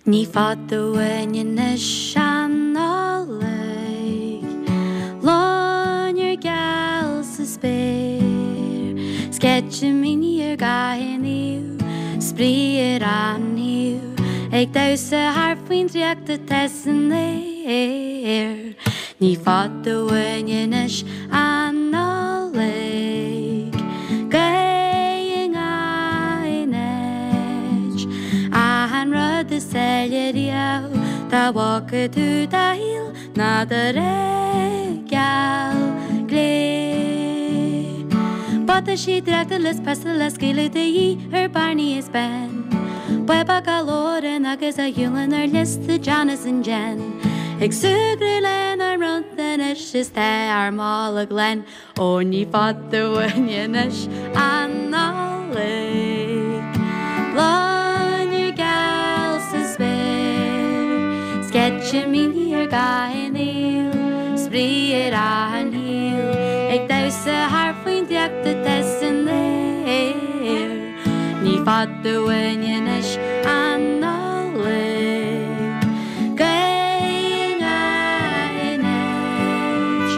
S4: Ní fada uainn anois an Nollaig, Loinnir geal sa spéir, Sceitimíní ar gach aon thaobh, Spraoi ar achan thaobh, Ag damhsa thart faoin draíocht atá san aer. Ní fada uainn anois an Nollaig, Gaoth i ngach aon áit, Achan rud is áille riamh dá bhfaca tú i do shaol ná do ré geal glé. Buataisí draíochta is piostail á scaoileadh de dhíth ar Barney is Ben. Baobab á Lauren agus á shiúlann ar liosta John is an Jen. Ag súgradh lenár mbronntanais is tá ár mála glan Ó ní fada uainn anois an Nollaig Loinnir geal sa spéir Sceitimíní ar gach aon thaobh Spraoi ar achan thaobh Ag damhsa thart faoin draíocht atá san aer. Ní fada uainn anois an Nollaig, Gaoth i ngach aon áit,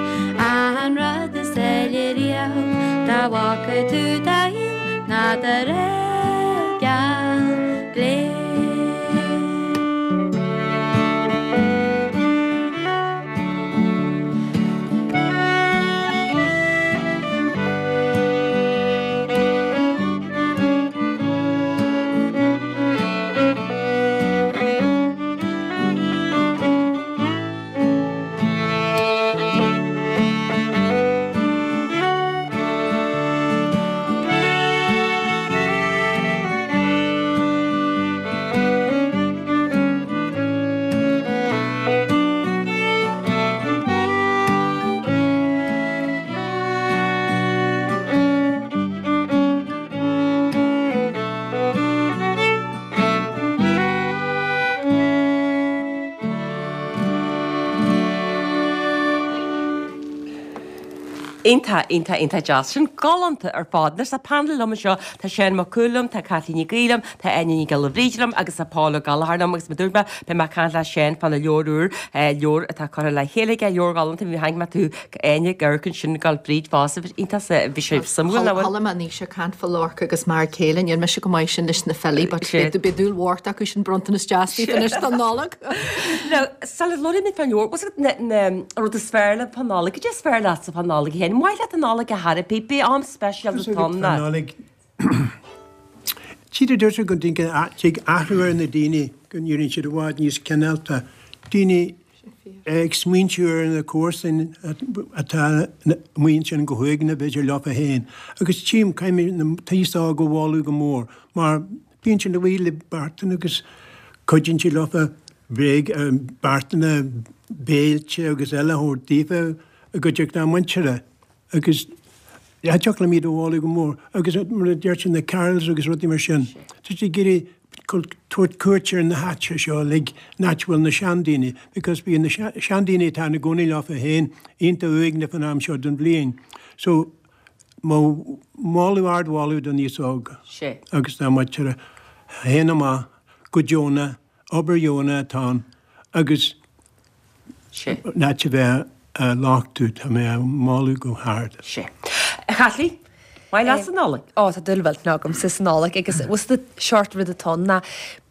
S4: Achan rud is áille riamh dá bhfaca tú i do shaol ná do ré geal glé.
S1: Iontach, iontach, iontach deas. Sin galánta ar fad. Anois tá panel liom anseo, tá Seán Mac Cumhaill liom, tá Caitlín Nic Aoidh liom, tá Áine Ní Ghiolla Bhríde liom agus tá Paul Ó Gallchóir liom agus mar dúirt mé, beidh mé ag caint le Seán fána leabhar úr, leabhar atá curtha le chéile aige, leabhar galánta, bhí tháinig mé tú Áine ag amharc ansin ag gabháil fríd fosta, bhí iontach sa, bhí sé suimiúil nach bhfuil?
S5: Chuala mé Naoise ag caint fá Lorca agus m'fhear céile, níl mise go maith sin leis na filí but beidh dúil mhór acu sin bronntanas deas daoibh anois don Nollaig.
S1: Now, sula labhraímid fán leabhar, what's it, na, na, an rud is fearr leat fán Nollaig, cad é is fearr leatsa fán Nollaig a Sheáin? An maith leat an Nollaig ar chor ar bith, pé am speisialta atá ann ná.
S6: Fán Nollaig, tchítear duitse go dtig athrú ar na daoine, go n-éiríonn siad i bhfad níos cineálta, daoine ag smaointiú ar na comharsain atá amuigh ansin go huaigneach b'fhéidir leofa féin. Agus tchím, caithfidh mé an t-aos óg a mholadh go mór, mar bíonn siad amuigh le beartanna agus cuidíonn siad leofa bréag, beartanna, béilte agus eile a thabhairt daofa i gcuideachta a muintire. Agus thiocfadh liom iad a mholadh go mór. Agus mar a deir siad, na carols agus rudaí mar sin. Tá siad ag iarraidh tabhairt cuairt ar na háite seo uilig, an áit a bhfuil na seandaoine, because bíonn na seandaoine atá ina gcónaí leofa féin iontach uaigneach an am seo den bhliain. So, mo mholadh, ard-mholadh don aos óg agus dá muintir a théann amach go deonach, obair dheonach atá ann agus an áit a bheith á lochtú, tá mé á moladh go hard.
S1: Sea. A Chaitlín, maith leatsa an Nollaig?
S7: Ó, tá dúil mhillteanach agamsa sa Nollaig agus bhfuil 's agat seort rud atá ann ná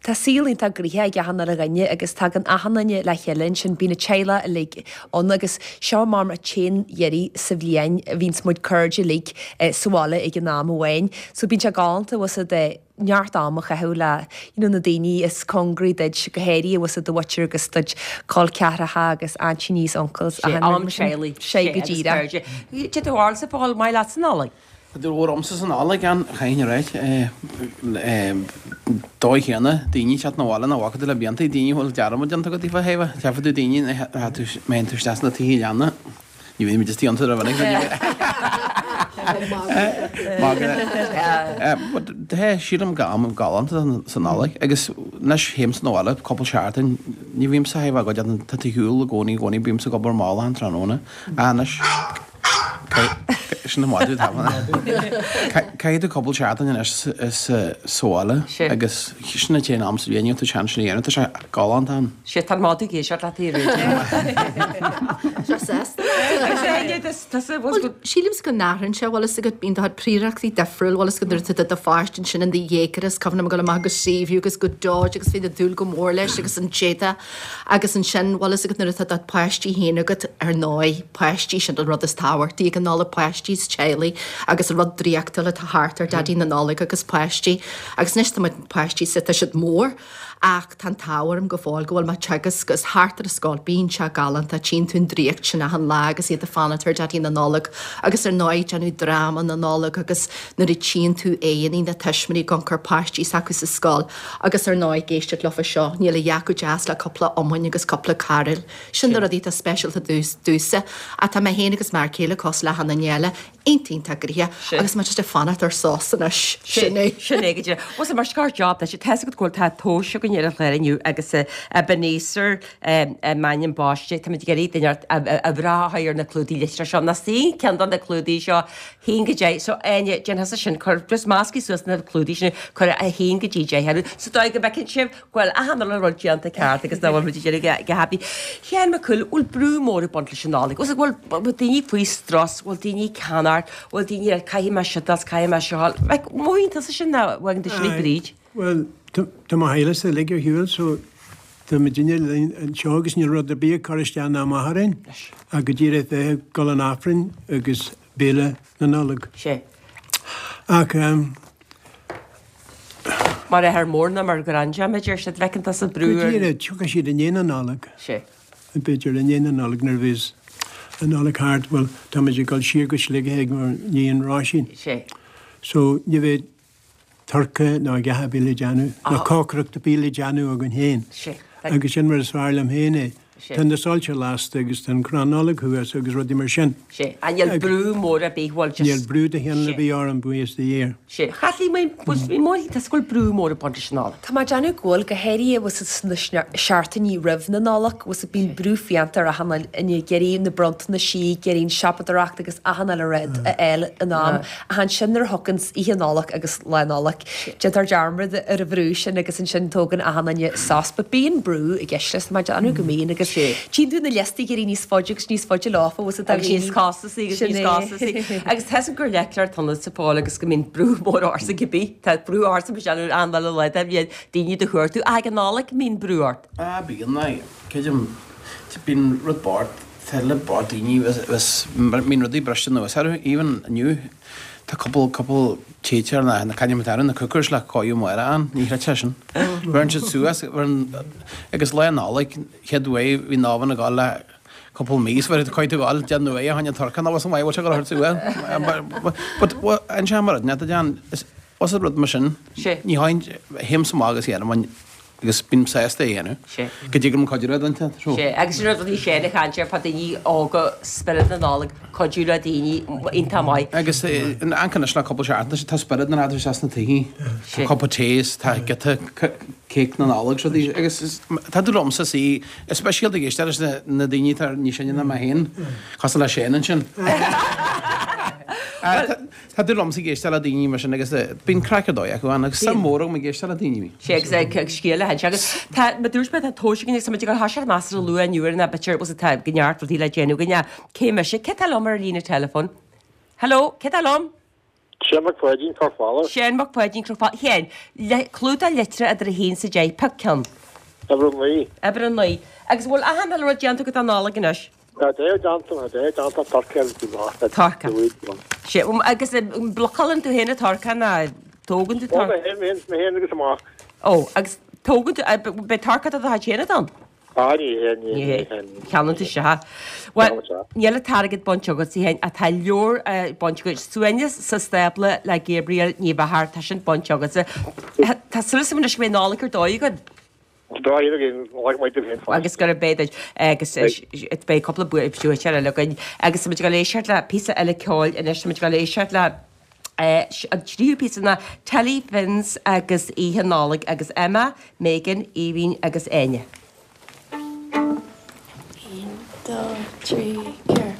S7: tá saol iontach gnoitheach ag achan uile dhuine agus tagann achan duine le chéile ansin, bíonn an teaghlach uilig ann agus seo mar an t-aon iarraidh sa bhliain a bhíonns muid cairde uilig sa bhaile ag an am amháin. So bíonn sé galánta, bhfuil 's agat, neart am a chaitheamh le you know na daoine is cóngaraí duit, go háirithe bhfuil 's agat do mhuintir agus do chol ceathracha agus aintíní is uncles
S1: Sé am teaghlaigh.
S7: Sé go díreach.
S1: Cad é do bharúilsa a Phóil, maith leatsa an Nollaig?
S8: Tá dúil mhór agamsa sa Nollaig ann, chaithfinn a ráit. Dóigh chéanna, daoine ag teacht 'na bhaile nach bhfaca tú le blianta, daoine a bhfuil dearmad déanta agat daofa, théamh, tchífidh tú daoine, má théann tú isteach sna tithe leanna, Ní bhíonn muid istigh iontu rómhinic. Magadh. Sílim gur am galánta sa Nollaig agus anois théimse 'na bhaile cúpla seachtain ní bhímse a thaobh agad tá tú ar shiúl i gcónaí i gcónaí bímse ag obair mall achan tráthnóna anois sin an madadh atá Caithfidh tú cúpla seachtain anois sa bhaile agus sin an t-aon am sa bhliain tú seans sin a dhéanamh tá sé galánta ann.
S1: Sea, tá an madadh ag éisteacht leat a Rúidín.
S5: Seo sásta leat. Bhuel, sílimse go n-athraíonn sé, bhfuil fhios agat, bíonn do chuid príorachtaí difriúil, bhfuil fhios agat nuair atá do do pháiste ansin in do dhéagóir is cuimhin liom ag dul amach go Seaview agus go Dodge agus bhí na dúil go mór leis agus an téada agus ansin, bhfuil fhios agat nuair atá do páistí féin agat, ar ndóigh, páistí, sin an rud is tábhachtaí ag an Nollaig, páistí is teaghlaigh agus an rud draíochtúil atá thart ar Daidí na Nollag agus páistí agus anois tá mo páistí sa, tá siad mór. Ach tá an t-ádh orm go fóill go bhfuil mé ag teagasc agus thart ar an scoil bíonn sé galánta, tchíonn tú an draíocht sin achan lá agus iad ag fanacht ar Daidí na Nollag agus ar ndóigh déanamh dráma na Nollag agus nuair a tchíonn tú aghaidheanna na tuismitheoirí ag amharc ar páistí s'acu sa scoil agus ar ndóigh ag éisteacht leofa seo, níl a dhath chomh deas le cúpla iomainn agus cúpla carúil. Sin na rudaí atá speisialta domhsa. Ach tá mé féin agus m'fhear céile cosúil le achan duine eile, iontach iontach gnoitheach agus muid just ag fanacht ar sos anois.
S1: Sin é. Sin é go díreach. Bhuel sea, mar scor job duit, tá 'fhios agat go bhfuil tá tomhais againn ar an chlár inniu agus Ebenezer m'ainm baiste, táimid ag iarraidh duine a bhreá a chur ar na clúdaigh litreach seo. Ná suíonn ceann de na clúdaigh seo haon go deich. So Áine, déan thusa sin, cuir just meascfaidh suas na clúdaigh sin, cuir a haon go dtí deich orthu. Sa dóigh go bhfeiceann sibh go bhfuil achan uile rud déanta ceart agus nach bhfuil muid ag déanamh go happy. Sheáin Mac Cumhaill, bhfuil brú mór ag baint leis an Nollaig? Bhfuil bhfuil daoine faoi strus, bhfuil daoine ag ceannacht, bhfuil daoine ag caithfidh mé seo is caithfidh mé seo. Like, mothaíonn tusa sin nó bhfaigheann tú sin ag Bríd?
S6: Bhuel, tá mo theaghlach uilig ar shiúl so tá muidinne linn anseo agus níl rud ar bith ag cur isteach ná amach orainn ach go díreach bheith ag dul an Aifrinn agus béile na Nollag.
S1: Sea.
S6: Ach ehm.
S1: Mar athair mór nó mar ghranddad, b'fhéidir, sea, an bhfeiceann tusa brú
S6: ar. Go díreach, tiocfaidh siad i ndiaidh na Nollag.
S1: Sea.
S6: B'fhéidir i ndiaidh na Nollag nuair a bheas an Nollaig thart, bhuel, tá muid ag dul siar go Sligeach ag mo níon Róisín.
S1: Sea.
S6: So, ní bheidh turcaí ná a dhath ar bith le déanamh, ná cócaireacht ar bith le déanamh againn féin.
S1: Sea.
S6: Agus sin mar is fearr liom féin é. Tá na soilse lasta agus tá an crann Nollag thuas agus rudaí mar sin.
S1: Sea. Ach níl brú mór ar bith, bhuel just.
S6: Níl brú de chineál ar bith orm, buíochas do Dhia.
S1: Sea. Chaitlín, bhí mór, tá go bhfuil brú mór ag baint leis an Nollaig.
S7: Tá mé ag déanamh go bhfuil, go háirithe bhfuil sna seachtainí roimh na Nollag, bhfuil bíonn brú fiánta ar achan duine ag iarraidh na bronntanais, ag iarraidh an siopadóireacht agus achan uile rud a fháil in am. Ach ansin nuair a thiocfainn Oíche Nollag agus Lá Nollag, déantar dearmad ar an bhrú sin agus ansin tógann achan duine sos. But bíonn brú i gceist leis, tá mé ag déanamh go mbíonn agus tchíonn tú na liostaí ag éirí níos faide agus níos faide leofa, bhfuil 's a'd
S1: Agus níos costasaí agus níos costasaí. Agus tá 'fhios a'm gur leictreoir tusa a Phóil agus go mbíonn brú mór ortsa cibé. Tá brú ortsa mar sin ar an lá le bhíonn daoine do chuartú. Ach ag an Nollaig mbíonn brú ort.
S8: Ah bíonn, aye. Creidim, bíonn rud bocht. Tuilleadh bocht daoine is mbíonn rudaí briste anuas orthu, even inniu tá cúpla cúpla téiteoir na na caidé mar atá na cookers le cóiriú amárach ann, ní chreidfeá sin. Bheireann siad suas bheireann agus Lá Nollag chéad uair bhí an oven ag dul le cúpla mí so bheir caithfidh tú gabháil déan uaidh a tháinig an torcán abhus an mhaith bhfuil sé ag dul a thabhairt suas. But an sé mar rud net a is os rud mar sin ní tháinig théimse amach agus dhéanaim Agus bím sásta é a dhéanamh.
S1: Sea.
S8: Go dtig liom cuidiú le duine.
S1: Sea. Agus sin rud a bhí Shane ag caint air, fá daoine óga, spiorad na Nollag, cuidiú le daoine, iontach maith.
S8: Agus in amharc anois le cúpla seachtain, tá spiorad na Nollag isteach sna tithe. Tá cupa tae is tá giota cake na Nollag is rudaí. Agus tá tú liomsa is is speisialta ag éisteacht leis na daoine atá níos sine ná mé féin, cosúil le Shane ansin. Tá dúil liomsa ag éisteacht le daoine mar sin agus bíonn craic ar dóigh acu ann agus suim mhór agam ag éisteacht le daoine.
S1: Sea agus ag scéal le hinse agus tá, mar dúirt mé, tá tomhais againn agus tá muid ag dul thar seach measartha luath inniu ar an b'fhéidir agus tá go neart rudaí le déanamh againn. Cé mise? Cé tá liom ar an líne teileafóin? Hello, cé tá liom?
S9: Seán Mac Pháidín, Cnoc Fola.
S1: Seán Mac Pháidín, Cnoc Fola. Sheáin, clúdach litreach idir 1 is 10, pioc ceann.
S9: Uimhir 9.
S1: Uimhir 9. Agus an bhfuil achan uile rud déanta agat don Nollaig anois?
S9: Tá dea déanta, tá dea déanta turcaí agus bhí maith le
S1: Turcaí. Sea, agus an bplucálann tú féin an turcaí nó tógann tú
S9: turcaí? Ó, mé féin, mé féin, mé féin agus an mac.
S1: Ó, agus tógann tú, beidh turcaí de do chuid féin ann?
S9: Á, ní hé, ní hé, ní hé.
S1: Ceannaíonn tú isteach. Bhuel, níl an t-airgead bainte agat, a Sheáin, ach tá leabhar bainte agat, Suaimhneas sa Stábla le Gabriel Ní Mheachair, tá sin bainte agatsa. Tá súil agam anois go mbeidh Nollaig ar dóigh againn. Agus gurb é duit agus beidh cúpla buaiteoir eile againn agus tá muid ag dul éisteacht le píosa eile ceoil anois, tá muid ag dul éisteacht le an tríú píosa ná Telly Fins agus Oíche Nollag agus Emma, Megan, Aoibhinn agus Áine.
S4: 1, 2, 3, 4.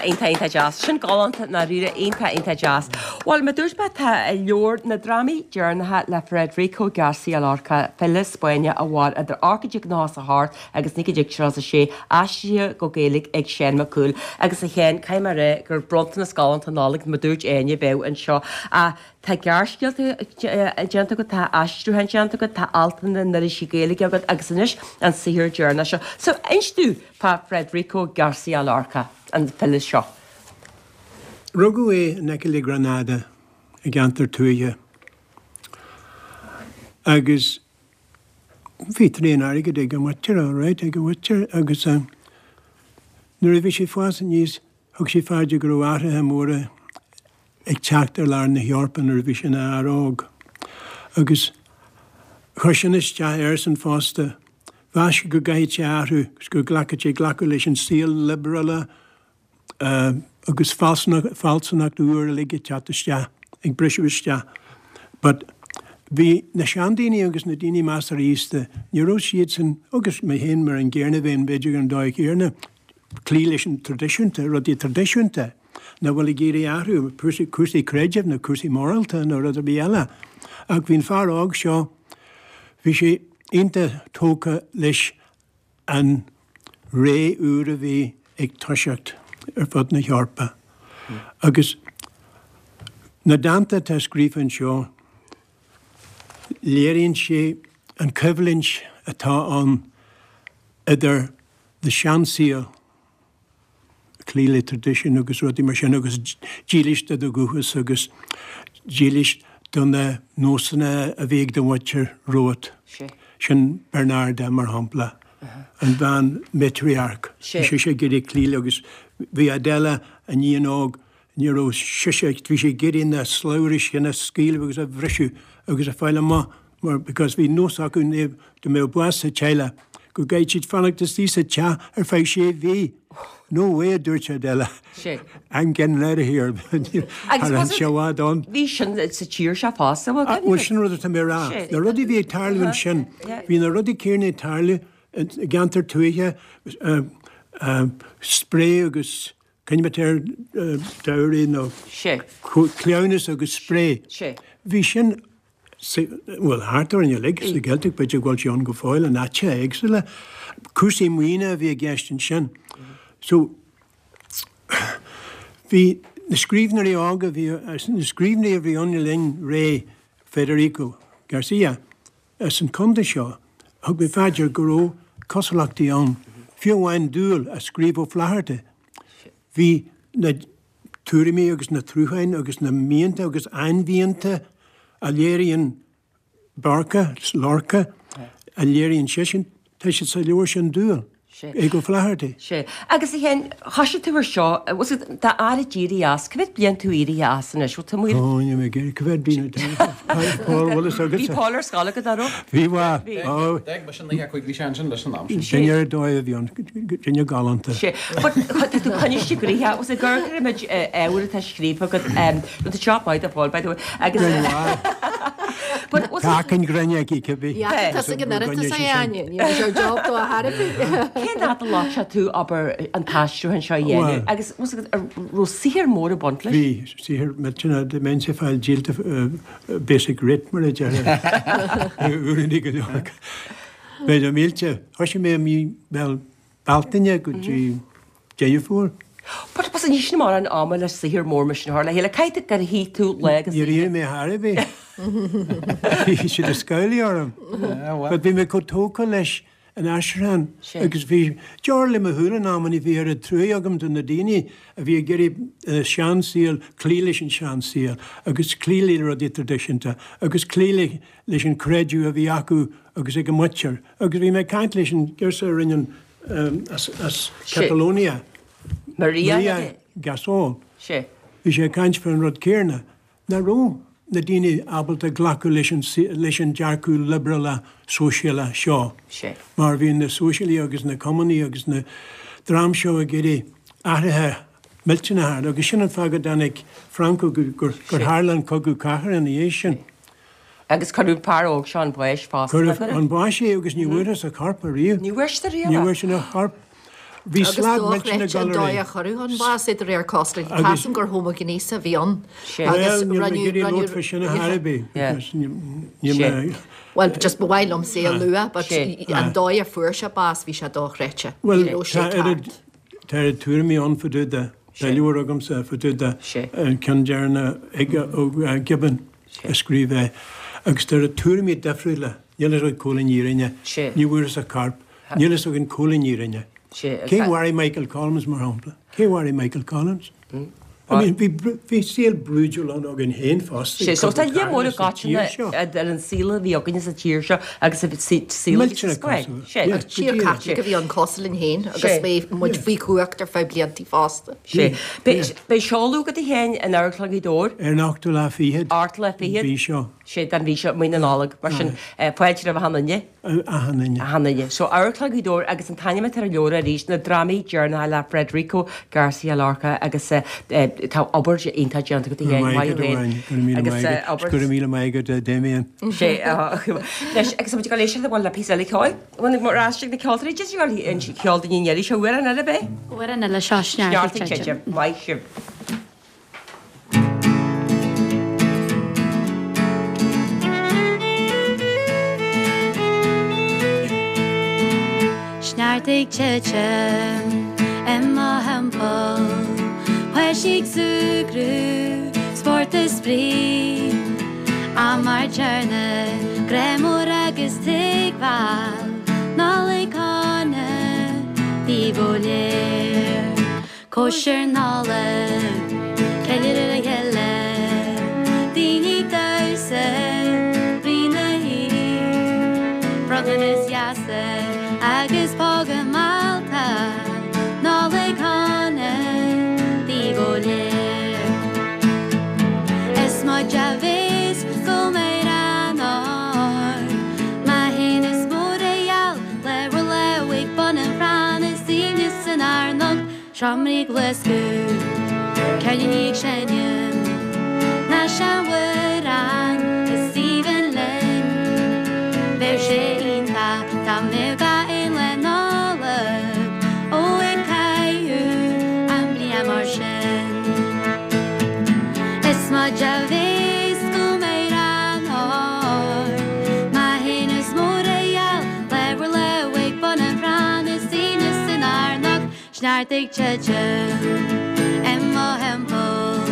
S1: Iontach, iontach, iontach deas. Sin galánta ndáiríre, iontach, iontach deas. Bhuel, mar dúirt mé, tá leabhar na drámaí deireanacha le Federico García Lorca, file Spáinneach a mhair idir 1898 agus 1936, aistrithe go Gaeilge ag Seán Mac Cumhaill. Agus a Sheáin, caithfidh mé a rá gur bronntanas galánta Nollag, mar dúirt Áine, bheadh anseo. Ach tá gearrscéalta déanta agat, tá aistriúcháin déanta agat, tá altanna in irisí Gaeilge agat agus anois an saothar deireanach seo. So, inis dúinn fá Federico García Lorca, an file seo.
S6: Rugadh é in aice le Granada i gceantar tuaithe agus bhí tréan airgid ag a mhuintir, all right, ag a mhuintir agus nuair a bhí sé ag fás aníos thug sé fá dear go raibh athruithe móra ag teacht ar lár na hEorpa nuair a bhí sé ina fhear óg. Agus chuir sin isteach airsean fosta. Mheas sé go gcaithfeadh sé athrú agus go nglacfadh sé glacadh leis an saol liobrálach agus fealsúnacht úr uilig ag teacht isteach, ag briseadh isteach. But bhí na seandaoine agus na daoine measartha aosta, ní raibh siadsan, agus mé féin mar an gcéanna, bheinn b'fhéidir ar an dóigh chéanna, cloí leis an traidisiúnta, rudaí traidisiúnta, nach bhfuil ag iarraidh athrú, cúrsaí creidimh nó cúrsaí morálta nó rud ar bith eile. Ach bhí an fear óg seo, bhí sé iontach tógtha leis an ré úr a bhí ag toiseacht ar fud na hEorpa. Agus na dánta atá scríofa anseo, léiríonn sé an choimhlint atá ann idir na seansaol, cloí le traidisiún agus rudaí mar sin agus dílis do do dhúchas agus dílis do na nósanna a bhí ag do mhuintir romhat. Sin Bernarda mar shampla, an bhean matriarch. Bhí sise ag iarraidh cloí le agus bhí Adela, an iníon óg, ní raibh sise, bhí sí ag iarraidh na slabhraí sin a scaoileadh agus a bhriseadh agus a fáil amach mar because bhí nós acu dá mbeadh bás sa teaghlach go gcaithfeadh siad fanacht istigh sa teach ar feadh sé mhí. No way a dúirt Adela. I'm getting out of here. Agus was it, ann.
S1: Bhí sin sa tír seo fosta,
S6: bhuel, Bhuel sin rud atá mé a rá. Na rudaí a bhí ag tarlú ansin, bhí na rudaí céanna ag tarlú i gceantar tuaithe, spré agus Coinbhitear dowry nó cleamhnas agus spré. Bhí sin, bhuel, thart orainn uilig sa Ghaeltacht, b'fhéidir go bhfuil sé ann go fóill in áiteacha éagsúla. Cúrsaí maoine a bhí i gceist ansin. So, bhí na scríbhneoirí óga, bhí na scríbhneoirí a bhí ann le linn ré Federico Garcia, As an contae seo, thug mé fá dear go raibh cosúlachtaí ann, fiú amháin Dual a scríobh Ó Flatharta. Bhí na tuairimí agus na truacháin agus na mianta agus ainmhianta a léiríonn Lorca, Lorca, a léiríonn seisean, tá siad sa leabhar sin Dual. Ag Ó Flatharta.
S1: Sea. Agus a Sheáin, thoisigh tú ar seo, bhfuil 's agat, tá aire éirithe as, cá mhéad bliain tú éirithe as anois? Bhfuil tú amuigh ar.
S6: Ó, níl mé ag iarraidh, cá mhéad bliain atá Paul, bhfuil fhios agatsa?
S1: Bhí Paul ar scoil agat, an raibh?
S6: Bhí, bhuel.
S8: Bhí. D'fhág mise in 95, bhí sé ansin leis an am sin.
S6: Duine ar dóigh a bhí ann, duine galánta.
S1: Sea. But tá tú coinniste gnoitheach, bhfuil 's agat, gur cuirimid ábhar atá scríofa agat, nó tá job maith do Paul, by the way, agus.
S6: But was. Tá achan ghrainne aici, cibé.
S5: Yeah, tá ag an oireachtas é, Áine. Ní raibh sé job do a thairbhe.
S1: Cén fhad a ghlac sé tú obair an t-aistriúchán seo a dhéanamh agus was raibh saothar mór ag baint leis?
S6: Bhí, saothar millteanach, dá mbeinnse ag fáil díolta basic rate mar a déarfá uaireanta go leor. B'fhéidir mílte. Thoisigh mé i mí, bhuel, Bealtaine go dtí Deireadh Fómhair.
S1: But was ní sin mórán ama le saothar mór mar sin a chur le chéile. Caithfidh gur shuigh tú lá agus
S6: Níor éirigh mé chor ar bith. Bhí siad ag scamhlaí orm. But bhí mé chomh tógtha leis an aistriúchán agus bhí deora le mo shúil in amanna, bhí oiread truaí agam do na daoine a bhí ag iarraidh an seansaol, cloí leis an seansaol agus cloí le rudaí traidisiúnta agus cloí le leis an creideamh a bhí acu agus ag a muintir. Agus bhí mé ag caint leis an girseach a rinne an as Catalonia,
S1: Maria
S6: Gasol. Bhí sé ag caint fán rud céanna, nach raibh na daoine ábalta glacadh leis an leis an dearcadh liobrálach sóisialach seo mar bhí na sóisialaigh agus na cumannaigh agus na dream seo ag iarraidh athruithe millteanacha agus sin an fáth go dtáinig Franco gur gur tharla an cogadh cathartha ina dhiaidh sin.
S1: Agus cuireadh an fear óg seo chun báis fosta.
S6: Cuireadh chun báis é agus ní bhfuarthas a chorp ariamh.
S1: Ní bhfuair siad ariamh
S6: é. Ní bhfuair siad a chorp. Bhí
S5: Agus
S6: slad millteanach
S5: dochreidte
S6: ag
S5: an
S6: dul ar
S5: dóigh a
S6: aghaidh.
S5: cuireadh chun báis é de réir cosúlachta.
S6: Agus.
S5: Tá 'fhios a'm gur homaighnéasach a bhí ann
S1: Sé.
S5: agus
S6: Bhuel, níl mé ag
S5: rinneadh,
S6: iarraidh
S5: rinneadh,
S6: labhairt fá sin ar chor ar bith
S1: Yeah.
S6: because níl
S1: Sé.
S6: mé.
S5: Bhuel, just ba mhaith liomsa é a lua but
S1: Sé.
S5: an dóigh a fuair sé bás bhí sé dochreidte.
S6: Bhuel,
S5: Ní raibh sé
S6: tá oiread,
S5: ceart.
S6: tá oiread tuairimí ann fá dtaobh de. Tá leabhar agamsa fá dtaobh de
S1: Sé.
S6: an ceann deireanach ag ó Gibbon a scríobh é agus tá oiread tuairimí difriúla, níl fhios againn cá bhfuil an fhírinne,
S1: Sé.
S6: ní bhfuarthas a corp, níl fhios againn cá bhfuil an fhírinne.
S1: Sé.
S6: Cé mharaigh Michael Collins mar shampla? Cé mharaigh Michael Collins? I mean, bhí, bhí saol brúidiúil ann againn féin fosta
S1: Sé,
S6: ag
S1: so tá
S6: cogadh
S1: lear mór
S6: carthanna sa tír
S1: i
S6: seo.
S1: gcoitinne ar an saol a bhí againne sa tír seo agus a saol a bhí sa
S6: Millteanach
S1: Spáinn.
S6: cosúil.
S1: Sé.
S6: Yeah, go
S5: Tír
S6: díreach.
S5: Caitliceach a bhí ann cosúil linn féin agus
S1: Sé.
S5: bhí muid faoi chumhacht ar feadh bliantaí fosta.
S1: Sé. Beidh, beidh seoladh agat a Sheáin in Amharclann Ghaoth Dobhair.
S6: Ar an ochtú lá fichead.
S1: Ochtú lá fichead.
S6: Mhí seo.
S1: Sé, den mhí seo, mí na Nollag. Mar sin, fáilte roimh achan duine.
S6: Achan duine.
S1: Achan duine. So, Amharclann Ghaoth Dobhair agus an t-ainm atá ar an leabhar arís, Na Drámaí Deireanacha le Federico Garcia Lorca agus tá obair iontach déanta agat a Sheáin, maith thú féin.
S6: Agus obair. Go raibh míle maith agat, a Damien.
S1: Sé, anois, agus muid ag dul éisteacht bhuel le píosa eile ceoil. Bhuel, mar ais ag na ceoltóirí, just ag dul an ceol duine eile seo amhrán eile, b'é?
S4: Amhrán eile seo, Sneachta ag Titim.
S1: Maith sibh.
S4: Sneachta ag titim i mo thimpeall, Páistí ag súgradh, spórt is spraoi, Am ár dTiarna, grá mór agus tuigbheáil, Nollaig shona daoibh go léir. Cóisir Nollag, ceiliúradh le chéile, daoine ag damhsa rí na hoíche, bronntanais dheasa agus póga meallta, Nollaig shona daoibh go léir. Is muid a bhéas go mbeidh an ár má théann is mór a gheall le bhur lámh ag bun an chrainn is aoibhneas san ár n-ucht Seomraí ag luascadh, ceirníní ag seinm, na seanamhráin is aoibhinn linn. Bheadh sé iontach dá mbeadh gach aon lá Nollag, ó ag caitheamh an bhliain mar sin. Is muid a bhéas go mbeidh an ár má théann is mór a gheall le bhur lámh ag bun an chrainn is aoibhneas san ár n-ucht Sneachta ag titim i mo thimpeall,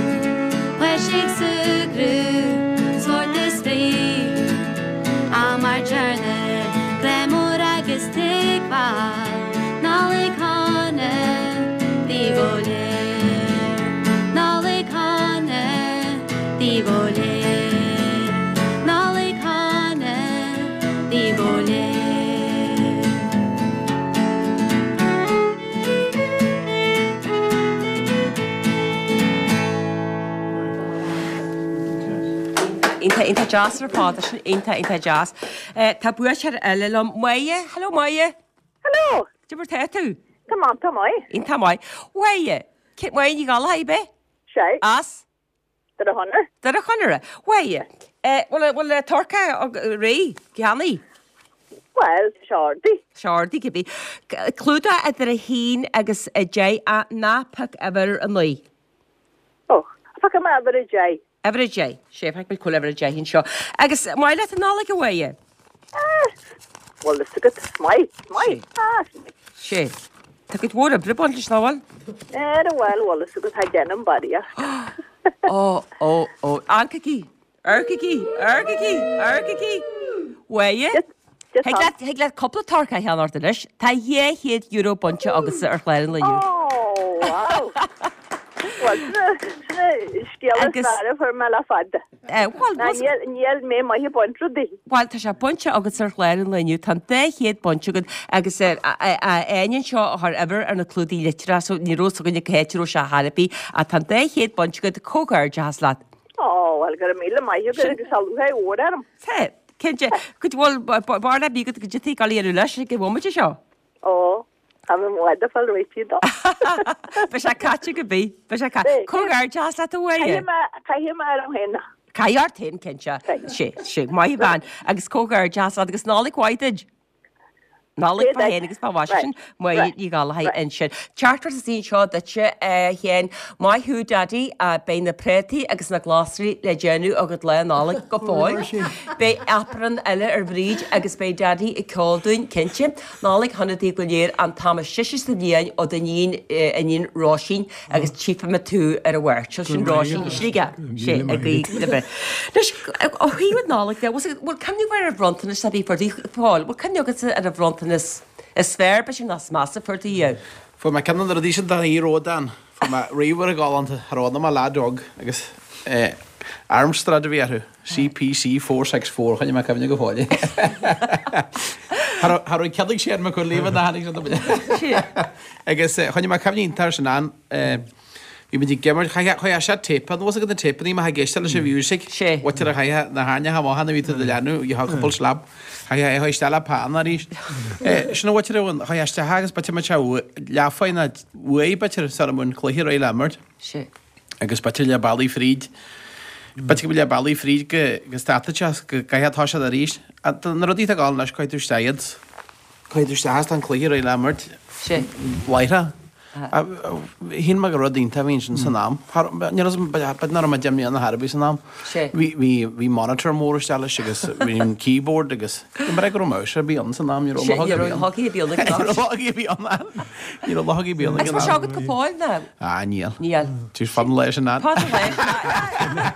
S4: páistí ag súgradh, spórt is spraoi, am ár dTiarna, grá mór agus tuigbheáil, Nollaig shona daoibh go léir, Nollaig shona daoibh go léir, Nollaig shona daoibh go léir.
S1: Iontach, iontach deas ar fad, sin iontach, iontach deas. Tá buaiteoir eile liom, Máire, hello Máire.
S10: Hello.
S1: Cad é mar tá tú?
S10: Tá maith, tá maith.
S1: Iontach maith. Máire, Máire Ní Ghallchóir, ab é?
S10: Sea.
S1: As?
S10: Doire Chonaire.
S1: Doire Chonaire. Mháire, bhfuil bhfuil turcaí réidh, ceannaithe?
S10: Bhuel, tá sé ordaithe.
S1: Tá sé ordaithe, cibé. Clúdach idir 1 agus 10, ach ná pioc uimhir 9.
S10: Ó, piocfaidh mé uimhir 10.
S1: Uimhir 10. Sea, feicfidh muid cá bhfuil uimhir 10 anseo. Agus maith leat an Nollaig, a Mháire?
S10: Ah, bhfuil fhios agat, maith, maith, ah, is maith.
S1: Sea. Tá cuid mhór oibre ag baint leis, nach bhfuil?
S10: Ar a bhfuil, bhfuil fhios agat, tá déanamh barraíocht.
S1: Ó, ó, ó, amharcaigí, amharcaigí, amharcaigí, amharcaigí. Mháire, thig leat, thig leat cúpla turcaí a cheannacht anois. Tá €200 bainte agatsa ar chlár an lae inniu.
S10: Ó, wow. Bhuel, sin an scéal is fearr a fuair mé le fada.
S1: Bhuel,
S10: Ná níl, níl mé maith ag baint rudaí.
S1: Bhuel, tá sé bainte agat ar chlár an lae inniu, tá an 200 bainte agat agus Áine anseo a chuir uimhir ar na clúdaigh litreach so ní raibh fhios againne cá háit a raibh sé ar chor ar bith ach tá an 200 bainte agat, comhghairdeachas leat.
S10: Ó, bhuel, go raibh míle maith agat agus tá lúcháir mhór orm.
S1: Tá, cinnte. Go bhfuil, b'fhearr le bhí agat go dtitfidh ag dul a dhéanamh leis ag an bhomaite seo.
S10: Ó. Tá mé i bhfad ag fáil réitithe dó.
S1: Beidh sé caite cibé. Beidh sé caite. Comhghairdeachas leat a Mháire.
S10: Caithfidh mé, caithfidh mé orm féin.
S1: Caithfidh ort féin, cinnte. Sé, sé. Maith an bhean. Agus comhghairdeachas leat agus Nollaig mhaith duit. Nollaig fá shéan agus fá mhaise sin Máire Ní Ghallchóir ansin. Teachtaireacht istigh anseo duitse, a Sheáin. Maith thú, Daidí. Beidh na préataí agus na glasraí le déanamh agat Lá Nollag go fóill. Beidh aprún eile ar Bhríd agus beidh Daidí ag ceol dúinn, cinnte. Nollaig shona daoibh go léir an t-am is deise sa bhliain ó d'iníon, iníon Róisín. agus tchífidh mé tú ar an Mháirt. Seo sin Róisín i Sligeach, sé ag guí libh. Anois, ó thaobh an Nollaig de, bhfuil cuimhne agaibh ar an bhronntanas a bhí fuair tú, Paul, bhfuil cuimhne agatsa ar an bhronntanas is fearr, b'fhéidir nó is measa a fuair tú riamh?
S8: Fuair mé ceann de na rudaí sin do Ródán. Fuair mé ríomhaire galánta, cha raibh ann ach mo leaid óg agus Amstrad a bhí orthu. CPC 464, choinnigh mé cuimhne go fóill. Cha raibh cead ag Séan Mac Cumhaill ná tháinig sé do Agus choinnigh mé cuimhne iontach air sin ann. Bhí muid ag imirt, chaith sé tape, an bhfuil fhios agat na téipeanna má ag éisteacht leis an mhiúisig, bhfuil a chaith na hairneacha amach ann a bhí tú do leanúint, gheofá cúpla slab, chaith é isteach le pan arís. Sin an bhfuil ann, chaith isteach agus b'fhéidir mbeadh sé leath fá uaidh b'fhéidir sara mbeadh an cluiche réidh le imirt. agus b'fhéidir leath bealaigh fríd, b'fhéidir go leath bealaigh fríd go go stadfadh sé go gcaithfeá toiseacht arís. Na rudaí atá ag gabháil anois, caithfidh tú isteach iad, caithfidh tú isteach is tá an cluiche réidh le imirt láithreach. Shíl mé gur rud iontach a bhí ansin san am. Ní raibh, b'fhéidir nach raibh mé 10 mbliana ar bith san am. Bhí, bhí, bhí monitor mór isteach leis agus bhí an keyboard agus ní raibh go raibh mouse ar bith ann san am, ní raibh luchóg ar bith ann. Ní raibh luchóg ar bith ann. Ní raibh luchóg ar bith ann ag an am.
S1: Agus tá sé agat go fóill nó?
S8: Ah, níl. Níl. Tús fad an lae sin ann.
S1: Fad an lae sin ann.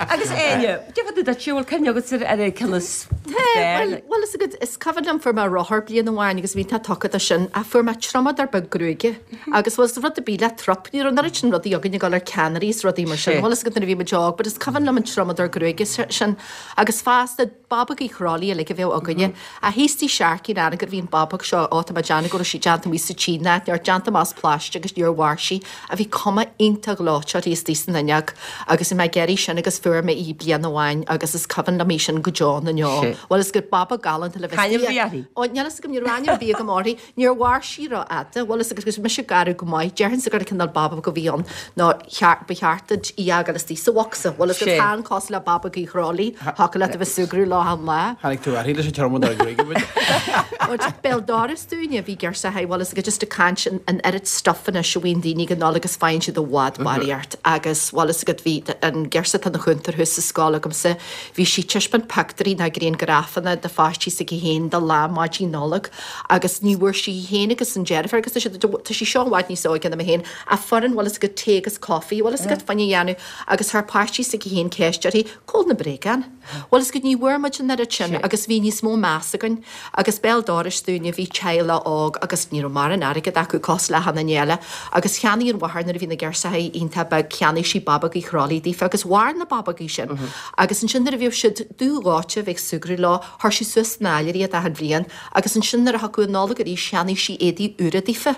S1: Agus Áine, cad fá dtaobh duit, bhfuil cuimhne agat ar an gceann is fearr?
S5: Bhuel, is agat, is cuimhin liom fuair mé rothar bliain amháin agus bhí mé tugtha dó sin ach fuair mé triomadóir beag gruaige agus bhuel is rud ar bith le trup, ní raibh an oiread sin rudaí againn ag dul ar ceannairí is rudaí mar sin, bhuel is agat nuair a bhí muid óg, but is cuimhin liom an triomadóir gruaige sin agus fosta Babóg Uí Chróilí uilig a bheadh againne. Ach thíos tigh Sharkey in Anagaire bhí an babóg seo, ó tá mé ag déanamh go raibh sí déanta amuigh sa tSín ná níor déanta amach as plaisteach agus níor mhair sí ach bhí cuma iontach gleoite uirthi istigh san fhuinneog agus bhí mé ag iarraidh sin agus fuair mé í bliain amháin agus is cuimhin liom í sin go deo na ndeo. Bhuel is gur babóg galánta le bheith
S1: C'ainm a bhí uirthi?
S5: Ó níl fhios agam, ní raibh ainm ar bith agam uirthi. Níor mhair sí rófhada, bhuel is agus mise garbh go maith, déarfainnse gur cineál babóg a bhí ann nó ba cheart duit í a fhágáil istigh sa bhocsa, bhuel is gur tá an cosúil le babóg Uí Chróilí, thiocfadh leat a bheith súgradh leo achan lá.
S8: Tháinig tú uirthi leis an triomadóir gruaige,
S5: b'fhéidir. Béal doras dúinne, bhí girseachaí, bhuel is gur just ag caint an oiread stuff anois a bhíonn daoine ag an Nollaig agus faigheann siad i bhfad barraíocht agus bhuel is agat bhí an girseach atá ina chúntóir thuas sa scoil agamsa, Bhí sí ag taispeáint pictiúirí ná griangrafanna de pháistí s'aici féin do lá maidin Nollag agus ní bhfuair sí í féin agus an deirfiúr agus tá siad tá sí seo i bhfad níos óige ná mé féin ach foireann bhfuil fhios agat tae agus coffee bhfuil fhios agat fá choinne a dhéanamh agus chuir páistí s'aici féin ceist uirthi cá bhfuil na bréagáin? Bhfuil fhios agat ní bhfuair muid an oiread sin agus bhí níos mó meas againn agus béal dorais dúinne bhí teaghlach óg agus ní raibh mórán airgead acu cosúil le achan duine eile agus cheannaigh an mháthair nuair a bhí na girseachaí iontach beag cheannaigh sí babógaí Chróilí daofa agus mhair na babógaí sin Agus ansin nuair a bhíodh siad dubh dhóite bheith ag súgradh leo, chuir sí suas san áiléar iad achan bhliain agus ansin nuair a thiocfadh an Nollaig arís cheannaigh sí éadaí úra daofa.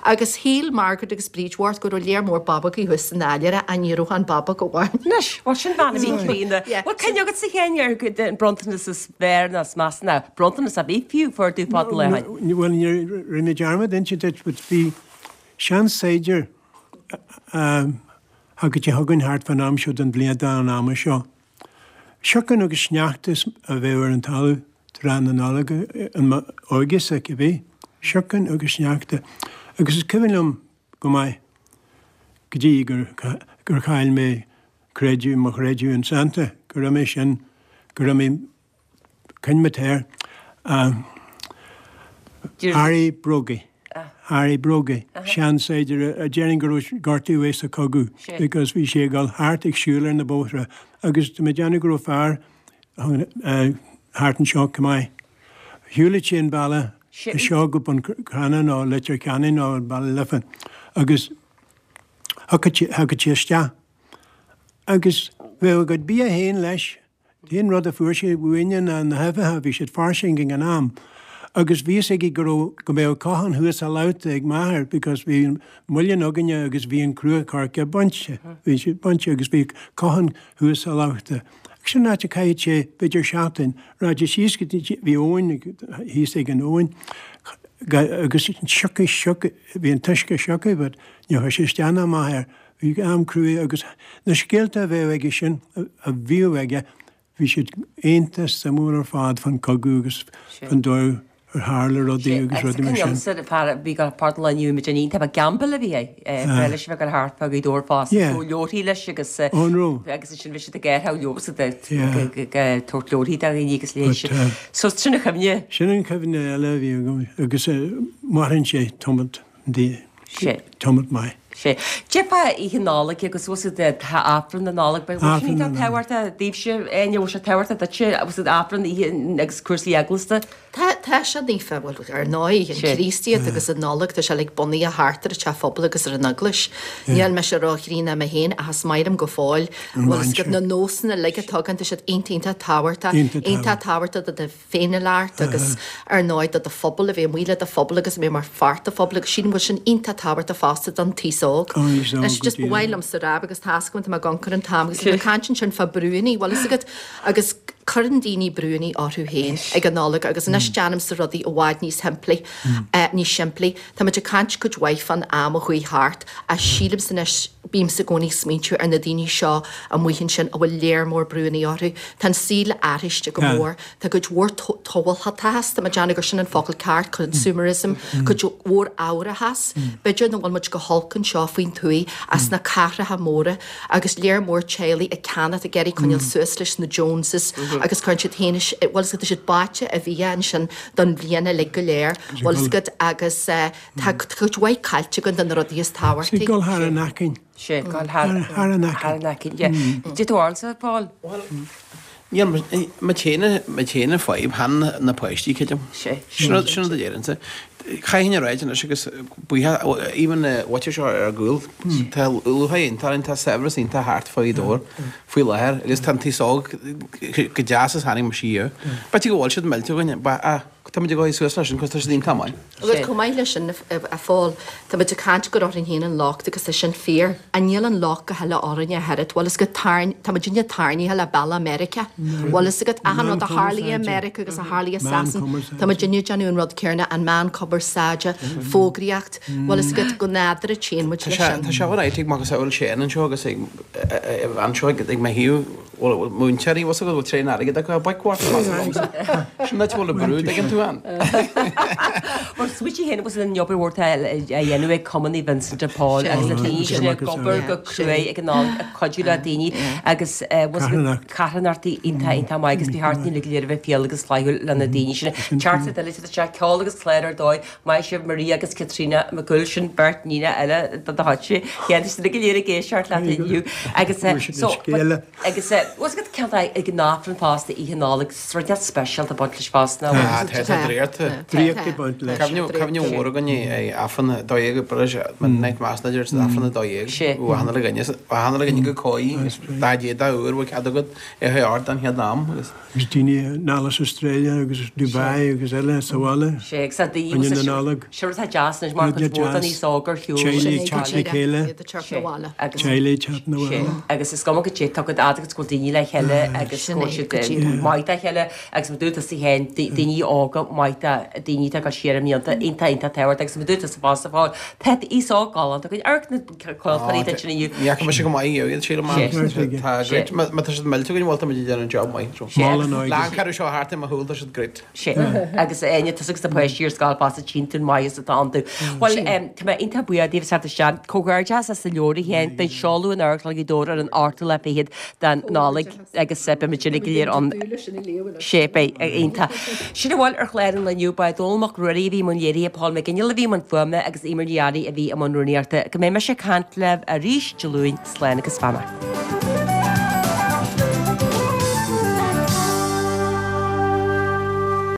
S5: Agus shíl Margaret agus Bríd Mhart go raibh léar mór babógaí thuas san áiléar ach ní raibh ach an babóg amháin.
S1: Anois, bhuel sin bean a bhí críonna. Bhfuil cuimhne agatsa a Sheáin ar an bronntanas is fearr nó is measa nó bronntanas ar bith fiú fuair tú fad an lae ó
S6: shin? Bhuel, rinne mé dearmad inse duit but bhí seansaighdiúir a Thagadh sé chugainn thart fán am seo den bhliain an ama seo. Siocán agus sneachta a bheadh ar an talamh tráth na Nollag in m'óige-sa, cibé. Siocán agus sneachta. Agus is cuimhin liom go maith go dtí gur gur chaill mé creideamh, mo chreideamh in Santa, go raibh mé sin, go raibh mé Coinnigh mé air. Harry Brógaí. Harry Brógaí. Seansaighdiúir a déarfainn go raibh gortú uaidh sa chogadh because bhí sé ag dul thart ag siúl ar na bóithre agus tá mé ag déanamh go raibh fear thart anseo chomh maith. Shiúlaigh sé an bealach seo go Bun Cranncha nó Leitir Ceanainn nó Baile Life agus thiocfadh sé isteach agus bheadh a gcuid bia féin leis An t-aon rud a fuair sé uainne ná na huibheacha, bhí siad fairsing ag an am. Agus bhí fhios aige go raibh, go mbeadh cochán thuas sa labhta ag m'athair because bhí an muileann againne agus bhí an crua coirce bainte, bhí siad bainte agus bhí cochán thuas sa labhta. Agus sin an áit a chaithfeadh sé b'fhéidir seachtain, rachadh sé síos go dtí, bhí abhainn thíos ag an abhainn agus siocadh, siocadh, bhí an t-uisce siocadh but ní chuir sé isteach ná amach air. Bhí am cruaidh agus na scéalta a bheadh aige sin, a bhíodh aige, bhí siad iontach suimiúil ar fad fán cogadh agus fán dóigh Ar tharla rudaí agus rudaí mar sin.
S1: Agus fear a bhí ag páirt an lae inniu muid an iontach ba Gamble a bhí é breá leis a bheith ag dul thart fá Ghaoth Dobhair fosta
S6: Yeah.
S1: go leabharthaí leis agus
S6: Ó an raibh?
S1: agus ansin bhí siad ag aertha leo agus ag
S6: Yeah.
S1: ag tabhairt leabharthaí do dhaoine agus léigh
S6: But,
S1: siad.
S6: uh,
S1: So sin an chuimhne.
S6: Sin an chuimhne eile a bhí agam agus maireann sé tamall di
S1: Sé.
S6: tamall maith.
S1: Sé. Cad é fá Oíche Nollag agus bhfuil siad tá Aifreann na Nollag beidh bhfuil sin
S6: Aifreann na
S1: iontach tábhachtach daoibhse Áine bhfuil sé tábhachtach duitse bhfuil siad Aifreann oíche agus cúrsaí eaglasta.
S5: Tá tá sé naofa bhuel ar ndóigh an
S1: Sé.
S5: Chríostaíocht agus an Nollaig tá sé uilig bunaithe thart ar an teach phobail agus ar an eaglais. Níl mise ró-chríonna mé féin ach is maith liom go fóill
S6: An
S5: bhfuil fhios agat
S6: mainséar.
S5: na nósanna uilig atá againn tá siad iontach iontach tábhachtach
S6: Iontach
S5: iontach tábhachtach do do féiniúlacht agus ar ndóigh do do phobal, a bheith amuigh le do phobal agus a bheith mar pháirt de phobal agus sílim go bhfuil sin iontach tábhachtach fosta don taos óg. Anois just ba mhaith liomsa a rá agus tá's agam tá mé ag amharc ar an t-am agus bhí mé ag caint ansin fá brúanna, bhfuil fhios agat agus cuireann daoine brúanna orthu féin ag an Nollaig agus anois déanaimse rudaí i bhfad níos shimplí, níos simplí. Tá muid ag caint cuid mhaith fán am a chuaigh thart ach sílimse anois, bímse i gcónaí ag smaointiú ar na daoine seo amuigh ansin a bhfuil léar mór brúanna orthu. Tá an saol athraithe go mór. Tá cuid mhór tomhaltachas, tá mé ag déanamh gur sin an focal ceart, consumerism, cuid mhór fhabhrachas. B'fhéidir nach bhfuil muid go holc anseo faoin tuaith ach sna cathracha móra agus léar mór teaghlaigh ag ceannacht, ag iarraidh coinneáil suas leis na Joneses agus cuireann siad féin, bhfuil fhios agat, tá siad báite i bhfia ansin don bhliain uilig go léir, bhfuil fhios agat, agus tá cuid mhaith caillte againn de na rudaí is tábhachtaí.
S6: Ag dul thar an aicinn.
S1: Sé, dul thar
S6: an
S1: aicinn, yeah. Did tú ormsa, Paul?
S8: Bhuel, níl, mo chéanna fadhb, chan na páistí, creidim.
S1: Sé.
S8: Sin rud a déarfainnse. Chaithfinn a ráit anois agus buíochas, even na bhfaitear seo ar gcúl, tá luacháil iontach orainn, tá saibhreas iontach thart fá Ghaoth Dobhair faoi láthair agus tá an t-aos óg go deas is tháinig mise siar. B'fhéidir go bhfuil siad millte againn, ach tá muid ag dul suas leis sin cos tá siad iontach maith.
S5: Agus chomh maith leis sin, a Phóil, tá muid ag caint gur orainn féin an locht agus tá sin fíor. Ach níl an locht go huile orainn ach oiread. Bhfuil fhios agat, tarn, tá muidinne tarraingthe le bealach Meiriceá. Bhfuil fhios agat, achan rud a tharlaigh i Meiriceá agus a tharlaigh i Sasain, tá muidinne ag déanamh an rud céanna, an meán cumarsáide, fógraíocht, bhfuil fhios agat, go nádúrtha téann muid leis sin.
S8: Tá sé an-áit ag macasamhail Séan anseo agus ag anseo ag mo thaobh. Bhuel, múinteoirí, bhfuil fhios agat, bhfuil tréan airgid acu, baic mhaith meas agamsa. Sin áit a bhfuil an brú, dtuigeann tú ann.
S1: Bhuel, smaoitigh féin agus an obair mhór atá á dhéanamh ag Cumann Naomh Vincent de Paul agus na daoine sin ag obair go cruaidh ag an am ag cuidiú le daoine agus carthanachtaí iontach iontach maith agus ba cheart dúinn uilig go léir a bheith fial agus flaithiúil le na daoine sin. Teachtaireacht eile isteach, ceol agus clár ar dóigh. Maith sibh Maria agus Caitríona Mac Cumhaill, sin beirt níonacha eile do do chuidse. Chéanna sin go léir ag éisteacht leat inniu. Agus so agus bhfuil fhios agat cén fáth ag an Aifreann fosta Oíche Nollag rud inteacht speisialta ag baint leis fosta nach
S8: Ah, tá tá draíocht.
S6: Draíocht ag baint leis.
S8: Cuimhne cuimhne mhór againn é Aifreann 12 British Midnight Mass na deir Aifreann 12.
S1: Sé.
S8: Achan uile dhuine achan uile dhuine go cóí dá dé dá uair bhfuil cead agat é a ard an chéad am agus.
S6: Agus daoine anall as Australia agus Dubai agus eile sa bhaile.
S1: Sé agus tá daoine
S6: Rinne na Nollag.
S1: Sin rud atá deas anois mar
S6: Rud
S1: cuid mhór den
S6: deas.
S1: aos óg ar shiúl.
S6: Teaghlaigh ag teacht le chéile.
S1: Agus
S6: Teaghlaigh ag teacht na
S1: Sé
S6: bhaile.
S1: agus is cuma goidé tá cuid fhada agus go bhfuil daoine le chéile agus go bhfuil siad maith dá chéile agus mar dúirt tusa féin daoine óga maith do daoine atá ag dul siar i mblianta iontach iontach tábhachtach agus mar dúirt tusa fosta Paul tá aos óg galánta againn amharc na craoltóirí duit inniu.
S8: Ní fhaca mise go maith iad, sílim. Tá great, má tá siad millte againn, bhuel tá muid ag déanamh job maith. Lá an ceathrú seo thart i mo shúil, tá siad great.
S1: Sé. Agus Áine, tusa agus na páistí ar scoil fosta tchíonn tú an maitheas atá iontu. Bhuel, tá mé iontach buíoch daoibh as teacht isteach. Comhghairdeas as an leabhar a Sheáin, beidh seoladh in Amharclann Ghaoth Dobhair ar an 8ú lá fichead den Nollaig agus beidh muid uilig go léir ann. Sé, beidh, iontach. Sin a bhfuil ar chlár an lae inniu, ba é Dónall Mac Ruairí a bhí i mbun léirithe, Paul McGinley a bhí i mbun fuaime agus Eimear Ní Fhearraigh a bhí i mbun rúnaíochta. Go mbeidh mise ag caint libh arís Dé Luain, slán agus beannacht.